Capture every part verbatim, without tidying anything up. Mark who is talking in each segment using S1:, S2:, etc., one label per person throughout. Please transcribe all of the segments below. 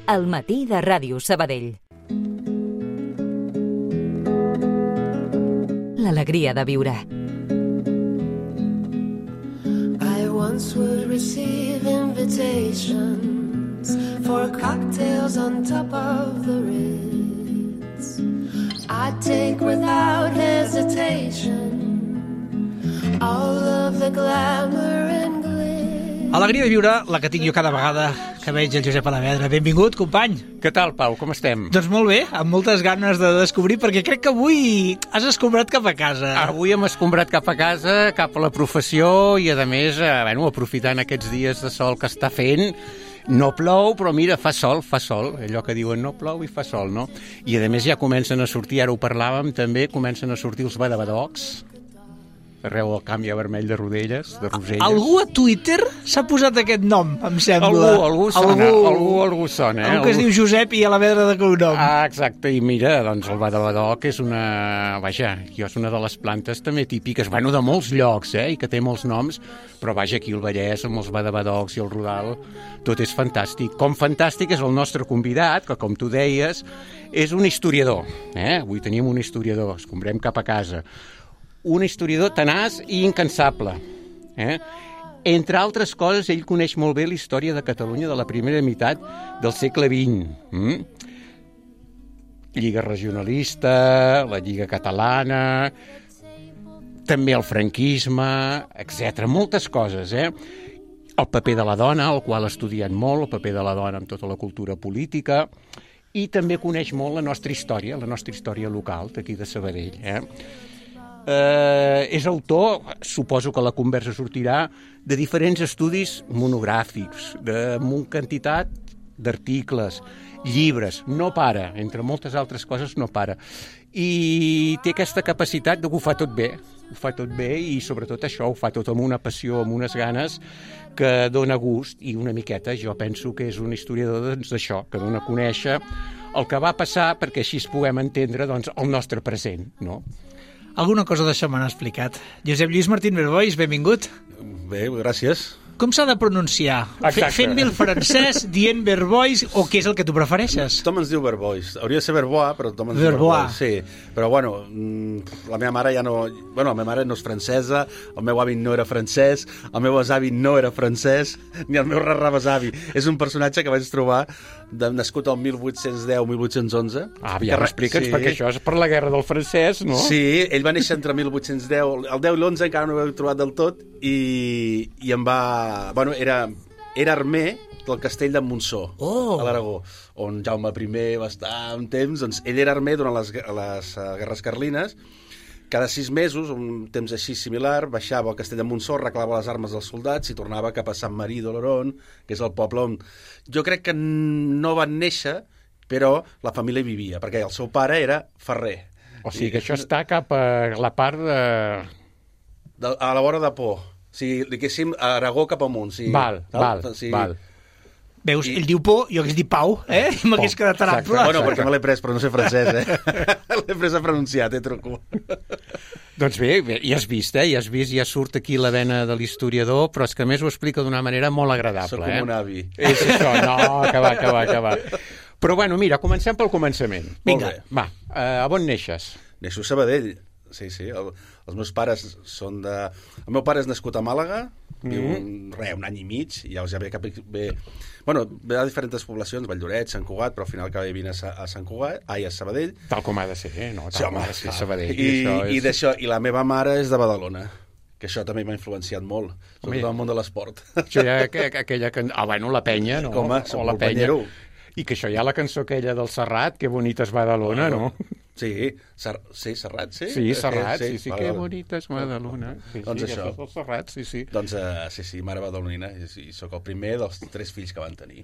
S1: al matí de Ràdio Sabadell. L'alegria de viure.
S2: I once would receive invitations for cocktails on top of the Ritz. I'd take without hesitation all of the glamour and glitz.
S3: Alegria de viure, la que tinc jo cada vegada que veig el Josep Alavedra. Benvingut, company.
S4: Què tal, Pau? Com estem?
S3: Doncs molt bé, amb moltes ganes de descobrir, perquè crec que avui has escombrat cap a casa.
S4: Avui hem escombrat cap a casa, cap a la professió, i a més, eh, bueno, aprofitant aquests dies de sol que està fent. No plou, però mira, fa sol, fa sol. Allò que diuen no plou i fa sol, no? I a més ja comencen a sortir, ara ho parlàvem també, comencen a sortir els badabadocs. Arreu del camp hi ha vermell de rodelles, de roselles.
S3: Algú a Twitter s'ha posat aquest nom, em sembla.
S4: Algú, algú sona, algú, algú, algú sona. Eh?
S3: Algú que es diu Josep i Alavedra de cognom.
S4: Ah, exacte, i mira, doncs el badabadoc és una... Vaja, jo és una de les plantes també típiques, bueno, de molts llocs, eh, i que té molts noms, però vaja, aquí al Vallès, amb els badabadocs i el rodal, tot és fantàstic. Com fantàstic és el nostre convidat, que com tu deies, és un historiador, eh? Avui tenim un historiador, escombrem cap a casa. Un historiador tenaç i incansable. Eh? Entre altres coses, ell coneix molt bé la història de Catalunya de la primera meitat del segle vint. Mm? Lliga regionalista, la Lliga catalana, també el franquisme, etcètera. Moltes coses, eh? El paper de la dona, el qual ha estudiat molt, el paper de la dona amb tota la cultura política, i també coneix molt la nostra història, la nostra història local d'aquí de Sabadell, eh? Eh, és autor, suposo que la conversa sortirà, de diferents estudis monogràfics, de una quantitat d'articles, llibres, no para, entre moltes altres coses no para. I té aquesta capacitat de que ho fa tot bé, ho fa tot bé i sobretot això, ho fa tot amb una passió, amb unes ganes que dona gust, i una miqueta jo penso que és un historiador doncs, d'això, que dona a conèixer el que va passar perquè així es puguem entendre doncs, el nostre present, no?
S3: Alguna cosa d'això m'han explicat. Josep Lluís Martín Verbois, benvingut.
S5: Bé, gràcies.
S3: Com s'ha de pronunciar?
S4: Exacte.
S3: Fent-me el francès, dient Verbois, o què és el que tu prefereixes?
S5: Tothom ens diu Verbois. Hauria de ser Verbois, però tothom ens
S3: Verbois.
S5: diu Verbois. Sí, però bueno, la meva mare ja no... Bueno, la meva mare no és francesa, el meu avi no era francès, el meu besavi no era francès, ni el meu rarrabesavi. És un personatge que vaig trobar de, nascut al mil vuit-cents deu mil vuit-cents onze.
S4: Ah, ja m'expliques, sí. Perquè això és per la guerra del francès, no?
S5: Sí, ell va néixer entre mil vuit-cents deu, el deu i l'onze encara no ho he trobat del tot, i, i em va... Bueno, era, era armer del castell de Montsó,
S3: oh.
S5: a l'Aragó, on Jaume primer va estar un temps. Doncs ell era armer durant les, les uh, guerres carlines. Cada sis mesos, un temps així similar, baixava al castell de Montsó, reclava les armes dels soldats i tornava cap a Sant Marí d'Oloron, que és el poble on jo crec que no van néixer, però la família hi vivia, perquè el seu pare era ferrer.
S4: O sigui que això està cap a la part de...
S5: de a la vora de Pó. O sigui, diguéssim, a Aragó cap amunt. Sí.
S4: Val, val,
S5: sí.
S4: val.
S3: Veus,
S5: I...
S3: ell diu Pó, jo que es diu Pau, eh? I m'hagués quedat tan ample.
S5: Bueno, perquè me l'he pres, però no sé francès, eh? L'he pres a pronunciar, té truco.
S4: Doncs bé, bé, ja has vist, eh? Ja has vist, ja surt aquí la vena de l'historiador, però és que a més ho explica d'una manera molt agradable.
S5: Soc com
S4: eh?
S5: un avi.
S4: És això, no, que va, que va, que va. Però bueno, mira, comencem pel començament.
S3: Vinga.
S4: Va, uh, a on neixes?
S5: Neixo a Sabadell. Sí, sí, el, els meus pares són de... El meu pare és nascut a Màlaga, mm-hmm. viu un, re, un any i mig, i ja ve cap... Ve, bueno, ve a diferents poblacions, Valldoreix, Sant Cugat, però al final acaba vivint a, a Sant Cugat, ai, a Sabadell.
S4: Tal com ha de ser, eh? No, tal
S5: sí,
S4: com
S5: home,
S4: ha de ser Sabadell.
S5: I,
S4: això és...
S5: i, d'això, I la meva mare és de Badalona, que això també m'ha influenciat molt, sobretot el món de l'esport.
S4: Això ja, aquella... Can... Ah, bueno, la penya, no?
S5: Com a,
S4: o la penya. I que això hi ha la cançó aquella del Serrat, que bonita és Badalona, no?
S5: Sí, Ser... sí, Serrat, sí.
S4: Sí, Serrat, sí, sí, sí,
S5: vale,
S4: que
S5: vale.
S4: bonita és Badalona. Sí,
S5: doncs
S4: sí,
S5: això.
S4: El Serrat, sí, sí.
S5: Doncs uh, sí, sí, mare badalonina, i, i sóc el primer dels tres fills que van tenir.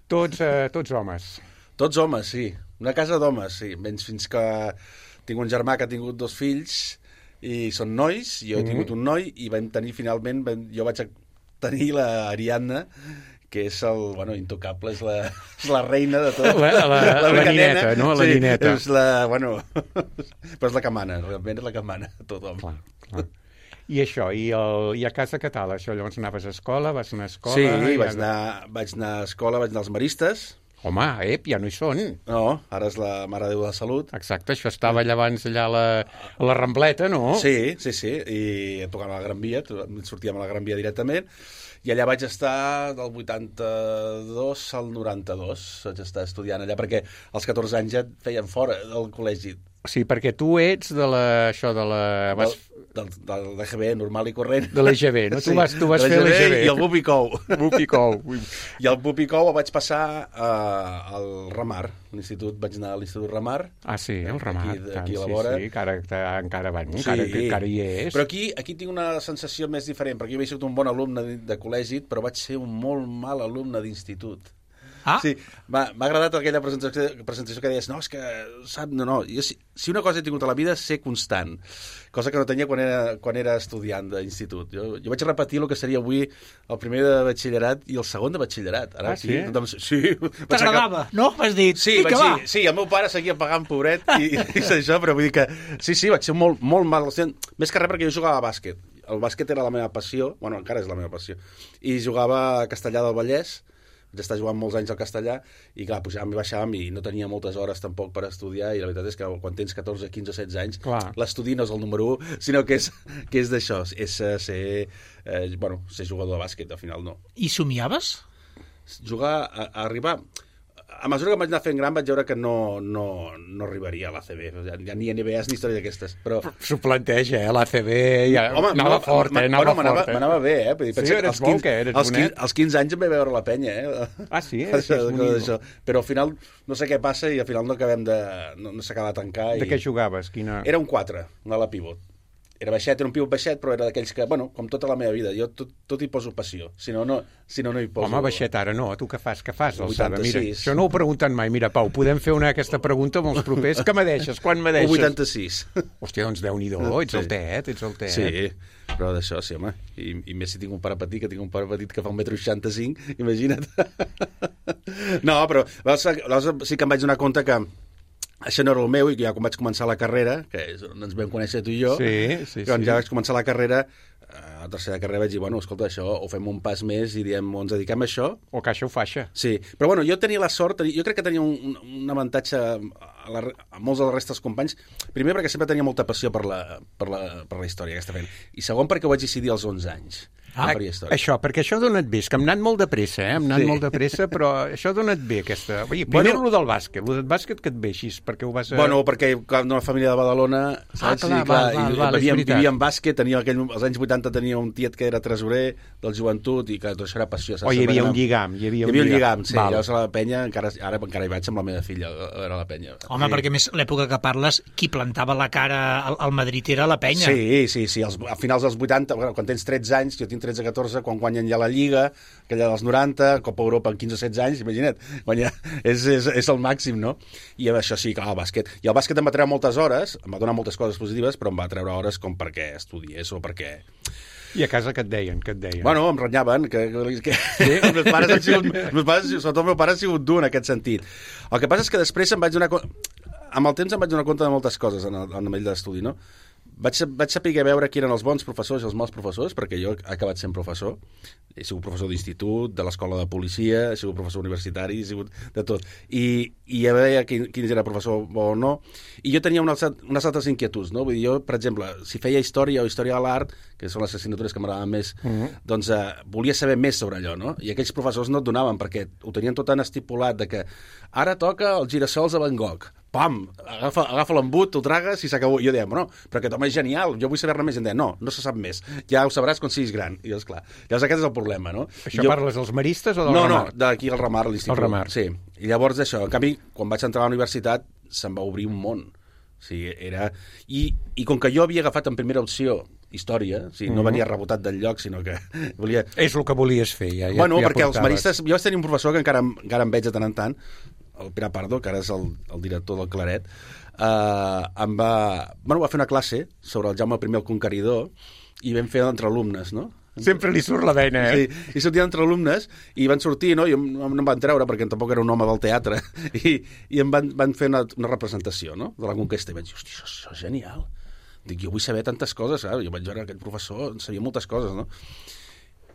S4: Tots, uh, tots homes.
S5: Tots homes, sí. Una casa d'homes, sí. Menys fins que tinc un germà que ha tingut dos fills i són nois, jo he mm-hmm. tingut un noi i vam tenir finalment, vam, jo vaig tenir la Ariadna, que és el, bueno, intocable, és la, és la reina de tot.
S4: La, la, la, la nineta, no? La
S5: sí,
S4: nineta.
S5: És la, bueno, però és la que mana, realment és la que mana a tothom. Clar,
S4: clar. I això, i, el, i a casa què tal? Això, llavors anaves a escola, vas anar a escola...
S5: Sí, vaig, anar, vaig anar a escola, vaig anar als Maristes,
S4: Home, ep, ja no hi són.
S5: No, ara és la Mare de Déu de la Salut.
S4: Exacte, això estava allà abans, allà a la, a la Rambleta, no?
S5: Sí, sí, sí, i tocant a la Gran Via, sortíem a la Gran Via directament, i allà vaig estar del vuitanta-dos al noranta-dos, vaig estar estudiant allà, perquè als catorze anys ja et feien fora del col·legi.
S4: Sí, perquè tu ets de la... això de la... Vas...
S5: Del, del, del G B, normal i corrent.
S4: De l'E G B, no? Sí, tu vas, tu vas fer l'E G B.
S5: I el Bupicou.
S4: Bupicou.
S5: I el Bupicou el vaig passar uh, al Ramar, l'institut, vaig anar a l'Institut Ramar.
S4: Ah, sí, el Ramar.
S5: Aquí, aquí
S4: tant,
S5: a la vora.
S4: Sí, sí, encara, encara, bueno,
S5: sí,
S4: encara, encara hi és.
S5: Però aquí, aquí tinc una sensació més diferent, perquè jo havia sigut un bon alumne de, de col·legi, però vaig ser un molt mal alumne d'institut.
S3: Ah.
S5: Sí, m'ha agradat aquella presentació, presentació que deies, no, és que, sap, no, no, jo, si, si una cosa he tingut a la vida, ser constant, cosa que no tenia quan era, quan era estudiant d'institut. Jo, jo vaig repetir el que seria avui el primer de batxillerat i el segon de batxillerat. Ara,
S4: ah, sí?
S5: Aquí, doncs, sí.
S3: T'agradava, no? Vas dir,
S5: sí,
S3: vinga,
S5: vaig
S3: va.
S5: dir, sí, el meu pare seguia pagant, pobret, i, i això, però vull dir que, sí, sí, vaig ser molt, molt mal, més que res perquè jo jugava a bàsquet. El bàsquet era la meva passió, bueno, encara és la meva passió, i jugava a Castellà del Vallès, vaig estar jugant molts anys al castellà i clar, pujàvem i baixàvem i no tenia moltes hores tampoc per estudiar i la veritat és que quan tens catorze, quinze, setze anys l'estudi no és el número u, sinó que és, que és d'això, és ser, eh, bueno, ser jugador de bàsquet, al final no.
S3: I somiaves?
S5: Jugar, a, a arribar... A mesura que vaig anar fent gran vaig veure que no, no, no arribaria a l'A C B, ja, ja ni N B As ni història d'aquestes. Però...
S4: S'ho planteja, eh? L'A C B ja... Home, anava no, fort, eh? Anava
S5: bueno,
S4: fort, eh?
S5: M'anava bé, eh? Vull dir,
S4: sí, eres
S5: bo,
S4: que eres
S5: als, quinze, als quinze anys em vaig veure la penya, eh?
S4: Ah, sí? Eh?
S5: Això, això. Però al final no sé què passa i al final no acabem de... no, no s'acaba de tancar.
S4: De
S5: i...
S4: què jugaves? Quina...
S5: Era un quatre, una ala pivot. Era baixet, era un pivot baixet, però era d'aquells que, bueno, com tota la meva vida, jo tot, tot hi poso passió, si no, no, si no, no hi poso...
S4: Home, baixet ara no, tu què fas, què fas,
S5: alçada?
S4: Mira, això no ho he preguntat mai, mira, Pau, podem fer una aquesta pregunta amb els propers, que me deixes, quan me deixes?
S5: O vuitanta-sis.
S4: Hòstia, doncs Déu-n'hi-do, ets el tet, ets el tet.
S5: Sí, però d'això, sí, home, i, i més si tinc un pare petit, que tinc un pare petit que fa un metro seixanta-cinc, imagina't. No, però llavors sí que em vaig donar compte que això no era el meu, i ja quan vaig començar la carrera, que és on ens vam conèixer tu i jo,
S4: sí, sí,
S5: quan
S4: sí.
S5: ja vaig començar la carrera, a la tercera carrera vaig dir, bueno, escolta, això, o fem un pas més i diem, o ens dediquem a això...
S4: O caixa o faixa.
S5: Sí, però bueno, jo tenia la sort, jo crec que tenia un, un avantatge a, la, a molts dels restes companys, primer perquè sempre tenia molta passió per la, per la, per la història que està fent, i segon perquè ho vaig decidir als onze anys.
S4: Ah, això, perquè això ha donat bé, és que hem anat molt de pressa, eh? Hem anat sí. molt de pressa, però això ha donat bé, aquesta... Ui, primer bueno, el del bàsquet, el del bàsquet que et veixis, perquè ho vas... A...
S5: Bueno, perquè una família de Badalona, saps?
S4: Ah, clar,
S5: I, clar,
S4: val, val,
S5: i
S4: val,
S5: vivíem, vivíem bàsquet, tenia aquell, als anys vuitanta tenia un tiet que era tresorer del joventut, i que tot això era passió.
S4: O hi havia un lligam, hi havia un lligam.
S5: Hi havia un lligam, sí, llavors a la penya, encara, ara encara hi vaig amb la meva filla, era la penya.
S3: Home, sí. Perquè més l'època que parles, qui plantava la cara al, al Madrid era la penya.
S5: Sí, sí, sí, als, a finals dels vuitanta, bueno, quan tens tretze anys, jo tinc tretze catorze, quan guanyen ja la Lliga, aquella dels noranta, Copa Europa en quinze o setze anys, imagina't, guanyar, és, és, és el màxim, no? I això sí, clar, el bàsquet. I el bàsquet em va treure moltes hores, em va donar moltes coses positives, però em va treure hores com perquè estudiés o perquè...
S4: I a casa què et deien? Què et deien?
S5: Bueno, em renyaven, que, que, sí? els meus pares han sigut, meus pares, sobretot el meu pare ha sigut dur en aquest sentit. El que passa és que després em vaig donar... Amb el temps em vaig donar compte de moltes coses en el, en el d'estudi, no? Vaig, vaig saber veure qui eren els bons professors i els mals professors, perquè jo he acabat sent professor. He sigut professor d'institut, de l'escola de policia, he sigut professor universitari, he sigut de tot. I, i ja veia quin, quin era professor bo o no. I jo tenia unes, unes altres inquietuds, no? Vull dir, jo, per exemple, si feia història o història de l'art, que són les assignatures que m'agradaven més, mm-hmm. doncs eh, volia saber més sobre allò, no? I aquells professors no et donaven, perquè ho tenien tot tan estipulat de que ara toca els girassols de Van Gogh. Pam, agafa, agafa l'embut, t'ho tragues i s'acabó. I jo deia, no, però aquest home és genial, jo vull saber-ne més. I em deia, no, no se sap més, ja ho sabràs quan siguis gran. I doncs, clar, llavors aquest és el problema, no?
S4: Això
S5: jo...
S4: parles dels maristes o del
S5: no,
S4: Ramar?
S5: No, no, d'aquí al Ramar, a l'institut.
S4: El Ramar.
S5: Sí, i llavors això, en canvi, quan vaig entrar a la universitat, se'm va obrir un món. O sigui, era... I, i com que jo havia agafat en primera opció història, o sigui, no venia rebotat del lloc, sinó que volia...
S4: És el que volies fer, ja.
S5: Bueno,
S4: ja
S5: perquè
S4: portaves.
S5: Els maristes... Jo vaig tenir un professor que encara, encara em veig de tant en tant, el Pere Pardo, que ara és el, el director del Claret, uh, em va... Bueno, va fer una classe sobre el Jaume primer el Conqueridor i vam fer entre alumnes, no?
S4: Sempre li surt la vena, eh?
S5: Sí, i sortien entre alumnes i van sortir, no? I em, no em van treure perquè tampoc era un home del teatre i, i em van, van fer una, una representació, no? De la conquesta i vaig dir, hosti, això, això és genial. Dic, jo vull saber tantes coses, eh? Jo vaig veure aquell professor, sabia moltes coses, no?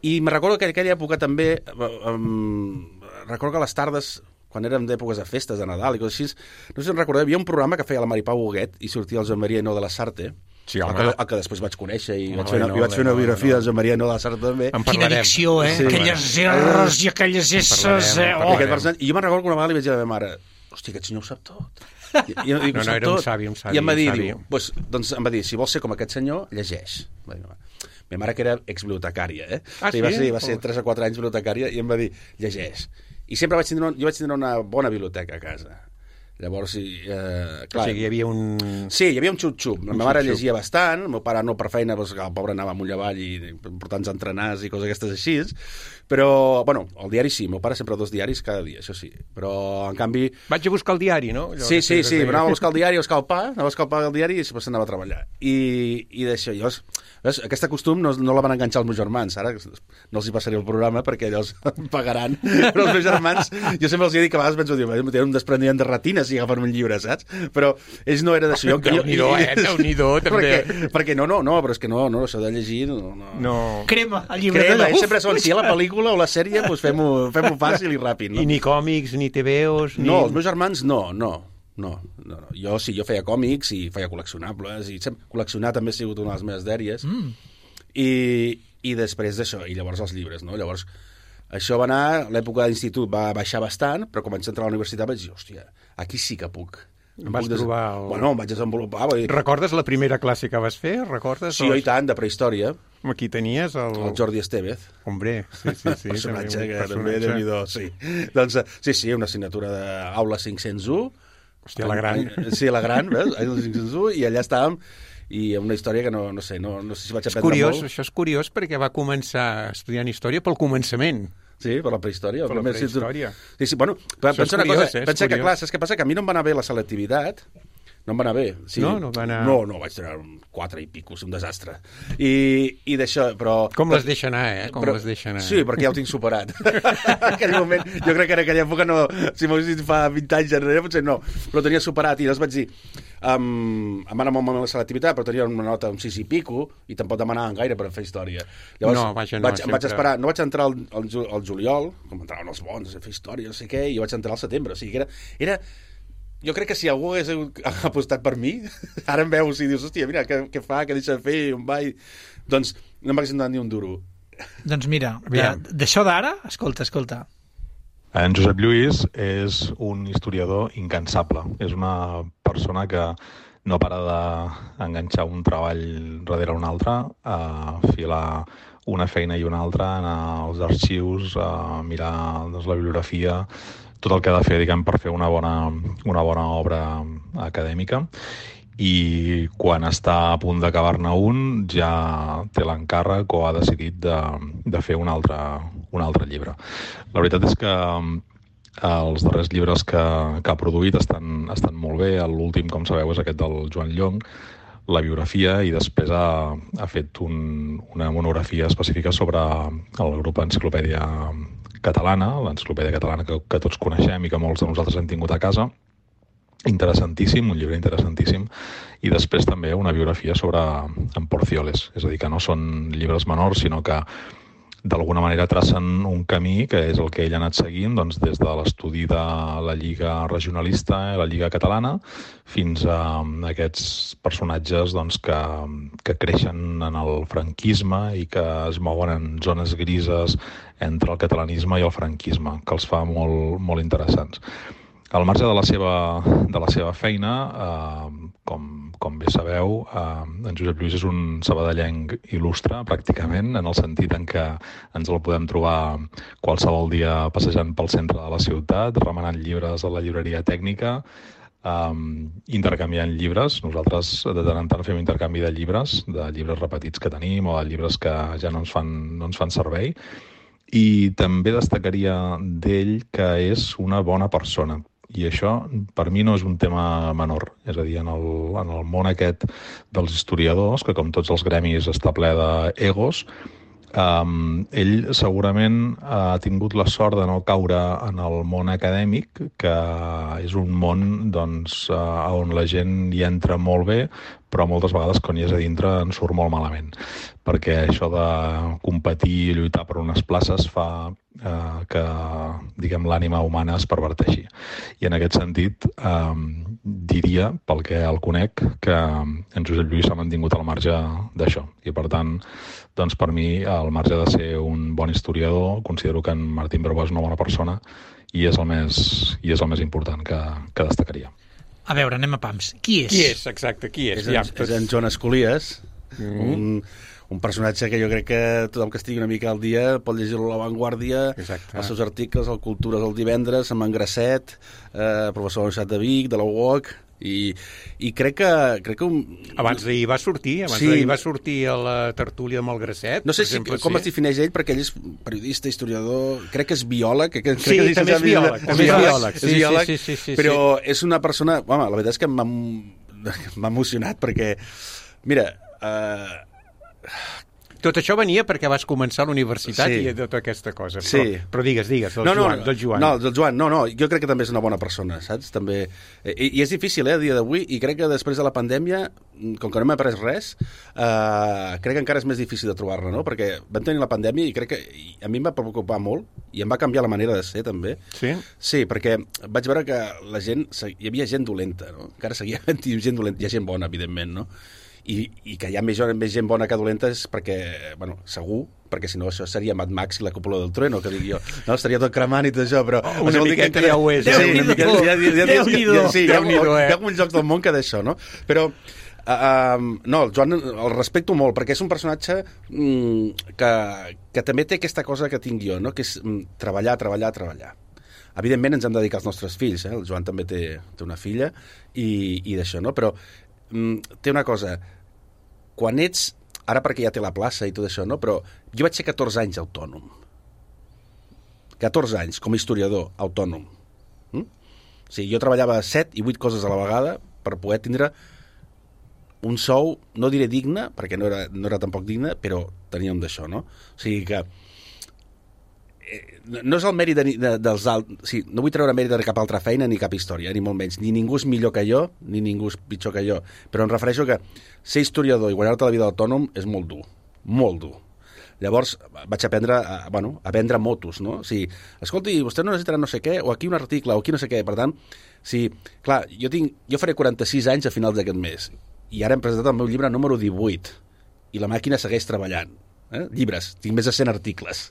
S5: I me recordo que en aquella època també, um, recordo que a les tardes, quan érem d'èpoques de festes, de Nadal i coses així. No sé si en recordeu, hi havia un programa que feia la Maripau Huguet i sortia el Joan Maria Hinault de la Sarte,
S4: Sí,
S5: el,
S4: home.
S5: que, el que després vaig conèixer i
S4: Home,
S5: vaig fer una,
S4: no,
S5: i vaig fer una
S4: no,
S5: biografia
S4: no.
S5: del Joan Maria Hinault de la Sarte també.
S4: En
S3: Quina
S4: parlarem.
S3: dicció, eh?
S5: Sí.
S3: Aquelles erres i aquelles esses,
S4: parlarem,
S3: eh?
S4: en
S3: Oh.
S4: parlarem.
S5: Aquest personatge, I jo me'n recordo que una vegada li vaig dir a la meva mare, hòstia, aquest senyor ho sap tot. I, i, i,
S4: No, no, era un savi, un savi,
S5: I em va dir,
S4: un savi.
S5: diu, pues, doncs em va dir, si vols ser com aquest senyor, llegeix. Va dir, "No." Meva mare que era exbibliotecària, eh?
S4: Ah,
S5: I va
S4: sí?
S5: ser, va ser tres o quatre anys bibliotecària i em va dir, llegeix. I sempre vaig tindre, un, jo vaig tindre una bona biblioteca a casa. Llavors, sí, eh, clar...
S4: O sigui, hi havia un...
S5: Sí, hi havia un xup-xup. La
S4: Un
S5: meva mare
S4: xup-xup.
S5: llegia bastant, el meu pare no per feina, doncs, el pobre anava amunt i avall i portant entrenars i coses aquestes així. Però, bueno, el diari sí, el meu pare sempre dos diaris cada dia, això sí. Però, en canvi...
S4: Vaig a buscar el diari, no? Allò
S5: Sí,
S4: que
S5: sí,
S4: sempre
S5: sí,
S4: es deia.
S5: anava a buscar el diari, a buscar el pa, anava a buscar el pa del diari i després anava a treballar. I, i d'això, llavors, veus, aquest costum no, no la van enganxar els meus germans, ara no els hi passaré el programa perquè llavors em pagaran, però els meus germans, jo sempre els he dit que a vegades penso, diu, tenen un desprendiment de retina si agafen un llibre, saps? Però ells no era d'això.
S4: Déu-n'hi-do, eh? Déu-n'hi-do, també.
S5: Perquè, perquè no, no, no, però és que no, no, això de llegir... No, no.
S4: No.
S3: Crema, el llibre
S5: Crema,
S3: de
S5: ells sempre són, si hi ha la pel·lícula o la sèrie, doncs fem-ho fem fàcil i ràpid, no?
S4: I ni còmics, ni te veos, ni...
S5: No, els meus germans no, no. No, no, no. Jo sí, jo feia còmics i feia col·leccionables, i sempre, col·leccionar també ha sigut una de les meves dèries. Mm. I, I després d'això, i llavors els llibres, no? Llavors, això va anar, l'època d'institut va baixar bastant, però quan vaig entrar a la universitat vaig dir, hòstia, aquí sí que puc.
S4: Em vas
S5: des...
S4: trobar el...
S5: Bueno, em vaig desenvolupar. Vull dir...
S4: Recordes la primera classe que vas fer? Recordes?
S5: Sí, i tant, de prehistòria.
S4: Aquí tenies el...
S5: El Jordi Estevez.
S4: Hombre, sí, sí, sí.
S5: personatge
S4: també,
S5: que
S4: un
S5: també,
S4: personatge.
S5: Déu-n'hi-do, sí. Doncs, sí, sí, una assignatura d'Aula cinc-cents u.
S4: Hòstia, la gran.
S5: Sí, la gran, veus? Aula cinc-cents u, i allà estàvem, i una història que no, no sé, no, no sé si vaig
S4: És
S5: aprendre
S4: curiós,
S5: molt.
S4: això és curiós perquè va començar estudiant història pel començament.
S5: Sí, per la prehistòria.
S4: Per la
S5: Primer, sí, tu-
S4: prehistòria.
S5: Sí, sí, bueno, però
S4: Això és
S5: pensa una
S4: curiós,
S5: cosa,
S4: eh? És
S5: pensa que,
S4: curiós.
S5: clar, saps què passa? Que a mi no em va anar bé la selectivitat, no em va anar bé. Sí.
S4: No? No va anar-
S5: No, no, vaig treure un quatre i pico, un desastre. I, i d'això, però...
S4: Com les deixa anar, eh? Com
S5: però,
S4: les deixa anar.
S5: Sí, perquè ja ho tinc superat. En aquell moment, jo crec que en aquella època no... Si m'ho dit fa vint anys enrere, potser no. Però ho tenia superat i llavors vaig dir... Um, em va anar molt malament la selectivitat, però tenia una nota un sis i pico i tampoc demanaven gaire per fer història. Llavors,
S4: No, vaja, no,
S5: vaig,
S4: sempre-
S5: vaig esperar, no vaig entrar al, al, ju- al juliol, com entraven els bons a fer història, no sé què, i jo vaig entrar al setembre. O sigui que era... era jo crec que si algú hagués apostat per mi, ara em veus i dius, hòstia, mira, què, què fa, què deixa de fer, on va... I... Doncs no m'hagués donat ni un duro.
S3: Doncs mira,
S4: Aviam.
S3: de- d'això d'ara, escolta, escolta.
S6: En Josep Lluís és un historiador incansable. És una persona que no para d'enganxar un treball darrere un altre, a filar una feina i una altra, anar als arxius, a mirar doncs, la bibliografia, tot el que ha de fer, diguem, per fer una bona, una bona obra acadèmica. I quan està a punt d'acabar-ne un ja té l'encàrrec o ha decidit de, de fer un altre, un altre llibre. La veritat és que els darrers llibres que, que ha produït estan, estan molt bé. L'últim, com sabeu, és aquest del Joan Llong, la biografia, i després ha, ha fet un, una monografia específica sobre el grup Enciclopèdia Catalana, l'Enciclopèdia Catalana que, que tots coneixem i que molts de nosaltres hem tingut a casa. Interessantíssim, un llibre interessantíssim, i després també una biografia sobre en Porcioles, és a dir, que no són llibres menors, sinó que d'alguna manera tracen un camí que és el que ell ha anat seguint doncs, des de l'estudi de la Lliga Regionalista, la Lliga Catalana, fins a aquests personatges doncs, que, que creixen en el franquisme i que es mouen en zones grises entre el catalanisme i el franquisme, que els fa molt, molt interessants. Al marge de la seva, de la seva feina, eh, com, com bé sabeu, eh, en Josep Lluís és un sabadellenc il·lustre, pràcticament, en el sentit en què ens el podem trobar qualsevol dia passejant pel centre de la ciutat, remenant llibres a la llibreria tècnica, eh, intercanviant llibres. Nosaltres de tant en tant fem intercanvi de llibres, de llibres repetits que tenim o de llibres que ja no ens fan, no ens fan servei. I també destacaria d'ell que és una bona persona. I això, per mi, no és un tema menor. És a dir, en el, en el món aquest dels historiadors, que com tots els gremis està ple d'egos, um, ell segurament ha tingut la sort de no caure en el món acadèmic, que és un món doncs, uh, on la gent hi entra molt bé, però moltes vegades quan hi és a dintre en surt molt malament, perquè això de competir i lluitar per unes places fa eh, que, diguem, l'ànima humana es perverteixi. I en aquest sentit, eh, diria, pel que el conec, que en Josep Lluís s'ha mantingut al marge d'això. I, per tant, doncs, per mi, al marge de ser un bon historiador, considero que en Martín Bravo és una bona persona i és el més, i és el més important que, que destacaria.
S3: A veure, anem a pams. Qui és?
S4: Qui és, exacte, qui és?
S5: És en,
S4: Ja,
S5: és en Joan Escolies, mm. un, un personatge que jo crec que tothom que estigui una mica al dia pot llegir-lo a La Vanguardia,
S4: Exacte.
S5: els seus articles, el Cultures el divendres, amb en Grasset, eh, professor de la Universitat de Vic, de la U O C, i, i crec que... Crec que un...
S4: Abans d'ahir va sortir, abans
S5: Sí.
S4: d'ahir va sortir a la tertúlia amb el Grasset.
S5: No sé
S4: per
S5: si,
S4: exemple,
S5: com
S4: sí.
S5: es defineix ell, perquè ell és periodista, historiador, crec que és biòleg. Que, crec
S4: Sí,
S5: que
S4: també és biòleg, també és biòleg.
S5: és
S4: Sí, sí,
S5: biòleg,
S4: sí, sí, sí,
S5: però és una persona... Home, la veritat és que m'ha m'ha emocionat, perquè, mira... Eh,
S4: Tot això venia perquè vas començar a la universitat
S5: Sí.
S4: i tota aquesta cosa.
S5: Sí.
S4: Però, però digues, digues, del
S5: no, no,
S4: Joan. Del Joan.
S5: No, del Joan, no, no, jo crec que també és una bona persona, saps? També... I, i és difícil, eh, a dia d'avui, i crec que després de la pandèmia, com que no hem après res, eh, crec que encara és més difícil de trobar-la, no? Perquè vam tenir la pandèmia i crec que i a mi em va preocupar molt i em va canviar la manera de ser, també.
S4: Sí?
S5: Sí, perquè vaig veure que la gent... Hi havia gent dolenta, no? Encara seguia havent gent dolenta. Hi ha gent bona, evidentment, no? I, i que hi ha més, més gent bona que dolenta és perquè, bueno, segur, perquè si no això seria Mad Max i la cúpula del trueno, que dic jo, no, estaria tot cremant i tot això, però...
S4: Oh, una
S5: això vol dir
S4: miqueta
S5: que encara-
S4: ja ho és,
S5: Sí,
S3: Déu-n'hi-do,
S5: una miqueta, ja- ja- ja-
S3: Déu-n'hi-do.
S5: ja- sí, hi ha,
S4: Déu-n'hi-do, eh?
S5: hi ha alguns jocs del món que d'això, no? Però, uh, um, no, el Joan el respecto molt, perquè és un personatge mm, que, que també té aquesta cosa que tinc jo, no? Que és mm, treballar, treballar, treballar. Evidentment ens hem de dedicar als nostres fills, eh? El Joan també té, té una filla i, i d'això, no? Però mm, té una cosa... Quan ets, ara perquè ja té la plaça i tot això, no? Però jo vaig ser catorze anys autònom. catorze anys, com a historiador autònom. Mm? O sigui, jo treballava set i vuit coses a la vegada per poder tindre un sou, no diré digne, perquè no era, no era tampoc digne, però tenia un d'això, no? O sigui que no és el mèrit de, de, dels altres, sí, no vull treure mèrit de cap altra feina ni cap història, ni molt menys, ni ningú és millor que jo ni ningú és pitjor que jo, però em refereixo que ser historiador i guanyar-te la vida d'autònom és molt dur, molt dur. Llavors vaig aprendre a, bueno, a vendre motos, no? O sigui, escolti, vostè no necessitarà no sé què, o aquí un article, o aquí no sé què, per tant, sí, clar, jo, tinc, jo faré quaranta-sis anys a finals d'aquest mes, i ara hem presentat el meu llibre número divuit, i la màquina segueix treballant. Eh? Llibres, tinc més de cent articles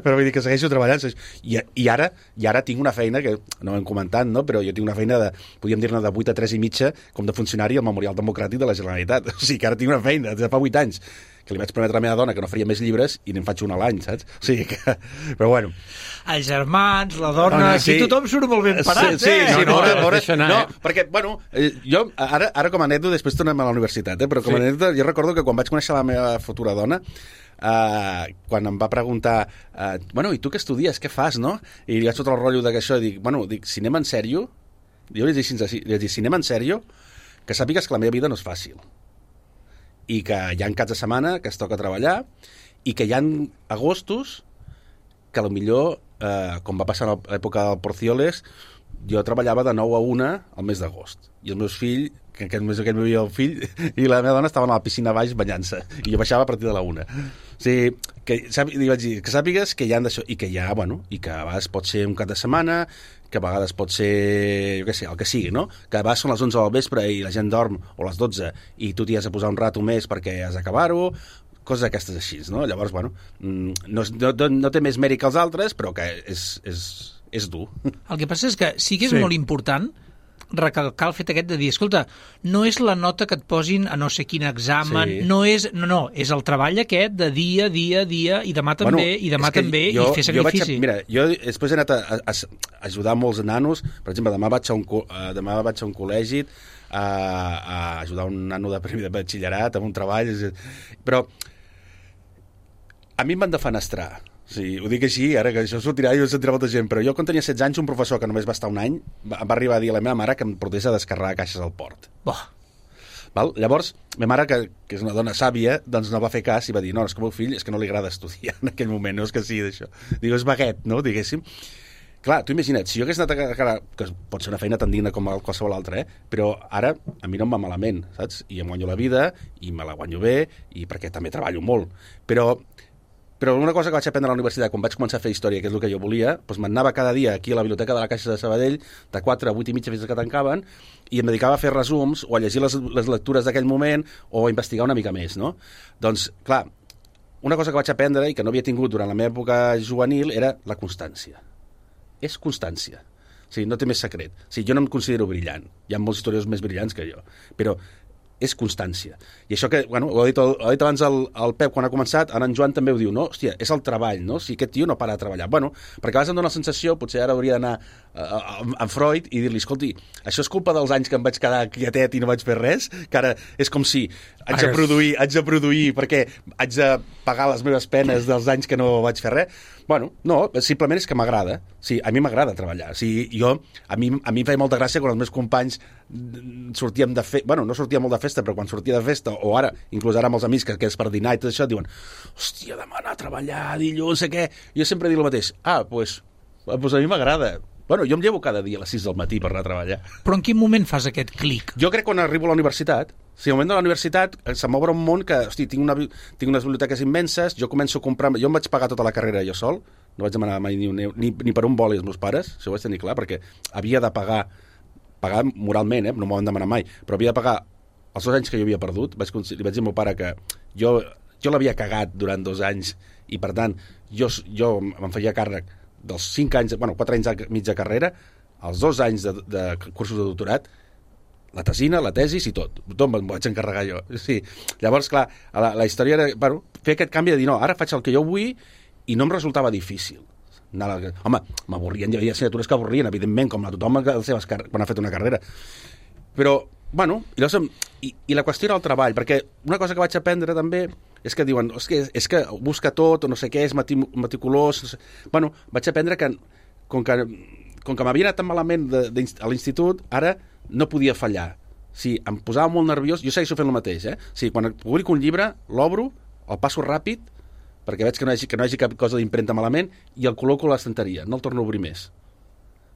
S5: però vull dir que segueixo treballant i, i, ara, i ara tinc una feina que no ho hem comentat, no? Però jo tinc una feina de, podríem dir-ne de vuit a tres i mitja com de funcionari al Memorial Democràtic de la Generalitat, o sigui que ara tinc una feina de fa vuit anys que li vaig prometre a la meva dona que no faria més llibres i n'en faig un a l'any, saps? O sigui que... Però bueno...
S3: Els germans, la dona...
S5: Dona,
S3: aquí
S5: sí.
S3: tothom surt molt ben parat,
S5: sí, sí,
S3: eh?
S5: sí,
S4: No, no,
S5: veure,
S4: es
S5: veure,
S4: deixa anar,
S5: no,
S4: eh?
S5: perquè, bueno, eh, jo, ara, ara com a anècdota, després tornem a la universitat, eh, però com a
S4: Sí.
S5: anècdota, jo recordo que quan vaig conèixer la meva futura dona, Uh, quan em va preguntar uh, bueno, i tu què estudies, què fas, no? I li vaig tot el rotllo de que això, dic, bueno, dic, cinema en sèrio? Jo li vaig dir, li vaig dir, cinema en sèrio? Que sàpigues que la meva vida no és fàcil. I que hi ha caps de setmana que es toca treballar i que hi ha agostos que potser, eh, com va passar a l'època del Porcioles, jo treballava de nou a una al mes d'agost. I els meus fills, que aquest mes que vivia el fill, i la meva dona estaven a la piscina baix banyant-se. I jo baixava a partir de la una. O sigui, que, sàpi, li vaig dir, que sàpigues que hi ha d'això, i que hi ha, bueno, i que a vegades pot ser un cap de setmana, que a vegades pot ser, jo què sé, el que sigui, no? Que a vegades són les onze del vespre i la gent dorm, o les dotze, i tu t'hi has de posar un rato més perquè has d'acabar-ho, coses d'aquestes així, no? Llavors, bueno, no, no, no té més mèrit que els altres, però que és, és, és dur.
S3: El que passa és que sí que és
S4: Sí.
S3: molt important recalcar el fet aquest de dir, escolta, no és la nota que et posin a no sé quin examen,
S5: Sí.
S3: no és, no, no, és el treball aquest de dia, dia, dia, i demà també,
S5: Bueno,
S3: i demà
S5: és que
S3: també,
S5: jo,
S3: i fer
S5: jo vaig
S3: sacrifici.
S5: a, mira, jo després he anat a, a, a ajudar molts nanos, per exemple, demà vaig a un, co- eh, demà vaig a un col·legi a, a ajudar un nano de primer de batxillerat amb un treball, és- però a mi em van defenestrar. Sí, ho dic així, ara que això sortirà i ho sentirà molta gent, però jo quan tenia setze anys un professor que només va estar un any va, va arribar a dir a la meva mare que em portés a descarregar caixes al port.
S3: Boh,
S5: Val? Llavors, ma mare, que, que és una dona sàvia, doncs no va fer cas i va dir, no, és que el meu fill és que no li agrada estudiar en aquell moment, no és que sigui d'això. Diu, és vaguet, no?, diguéssim. Clar, tu imagina't, si jo hagués anat a cara, que pot ser una feina tan digna com qualsevol altra, eh? Però ara a mi no em va malament, saps? I em guanyo la vida, i me la guanyo bé, i perquè també treballo molt. Però, però una cosa que vaig aprendre a la universitat, quan vaig començar a fer història, que és el que jo volia, doncs m'anava cada dia aquí a la biblioteca de la Caixa de Sabadell, de quatre a vuit i mitja fins que tancaven, i em dedicava a fer resums, o a llegir les, les lectures d'aquell moment, o a investigar una mica més, no? Doncs, clar, una cosa que vaig aprendre i que no havia tingut durant la meva època juvenil era la constància. És constància. O sigui, no té més secret. O sigui, jo no em considero brillant. Hi ha molts historiadors més brillants que jo. Però és constància. I això que, bueno, ho ha dit, ho ha dit abans el, el Pep quan ha començat, ara en Joan també ho diu, no? Hòstia, és el treball, no? Si aquest tio no para de treballar. Bueno, perquè a vegades em dóna la sensació, potser ara hauria d'anar a Freud i dir-li, escolti, això és culpa dels anys que em vaig quedar quietet i no vaig fer res, que ara és com si haig de produir, haig de produir perquè haig de pagar les meves penes dels anys que no vaig fer res. Bueno, no, simplement és que m'agrada. Sí, a mi m'agrada treballar. Sí, jo, a mi, a mi em feia molta gràcia quan els meus companys sortíem de festa, bueno, no sortia molt de festa, però quan sortia de festa, o ara, inclús ara amb els amics, que, que és per dinar i tot això, diuen, hòstia, demà anar a treballar, dilluns, no sé què. Jo sempre dic el mateix, ah, doncs pues, pues a mi m'agrada. Bueno, jo em llevo cada dia a les sis del matí per anar a treballar.
S3: Però en quin moment fas aquest clic?
S5: Jo crec quan arribo a la universitat. O sigui, al moment de la universitat se m'obre un món que, hosti, tinc, una, tinc unes biblioteques immenses, jo començo a comprar... Jo em vaig pagar tota la carrera jo sol, no vaig demanar mai ni, un, ni, ni per un boli als meus pares, això ho vaig tenir clar, perquè havia de pagar, pagar moralment, eh? No m'ho van demanar mai, però havia de pagar els dos anys que jo havia perdut. Vaig, li vaig dir al meu pare que jo, jo l'havia cagat durant dos anys i, per tant, jo, jo me'n feia càrrec dels cinc anys, bueno, quatre anys de mitja carrera, els dos anys de, de cursos de doctorat, la tesina, la tesis i tot. Tot me'n vaig encarregar jo. Sí. Llavors, clar, la, la història era, bueno, fer aquest canvi de dir, no, ara faig el que jo vull i no em resultava difícil. La... Home, m'avorrien, hi havia assignatures que avorrien, evidentment, com a tothom a les seves car... quan ha fet una carrera. Però, bueno, i, llavors, i, i la qüestió era el treball, perquè una cosa que vaig aprendre també és que diuen, és que, és que busca tot, o no sé què, és meticulós... No sé. Bueno, vaig aprendre que, com que, com que m'havia anat tan malament de, de, a l'institut, ara no podia fallar. Si em posava molt nerviós, jo segueixo fent el mateix, eh? Si quan publico un llibre, l'obro, el passo ràpid, perquè veig que no hi hagi, que no hi hagi cap cosa d'impremta malament, i el col·loco a l'estanteria, no el torno a obrir més.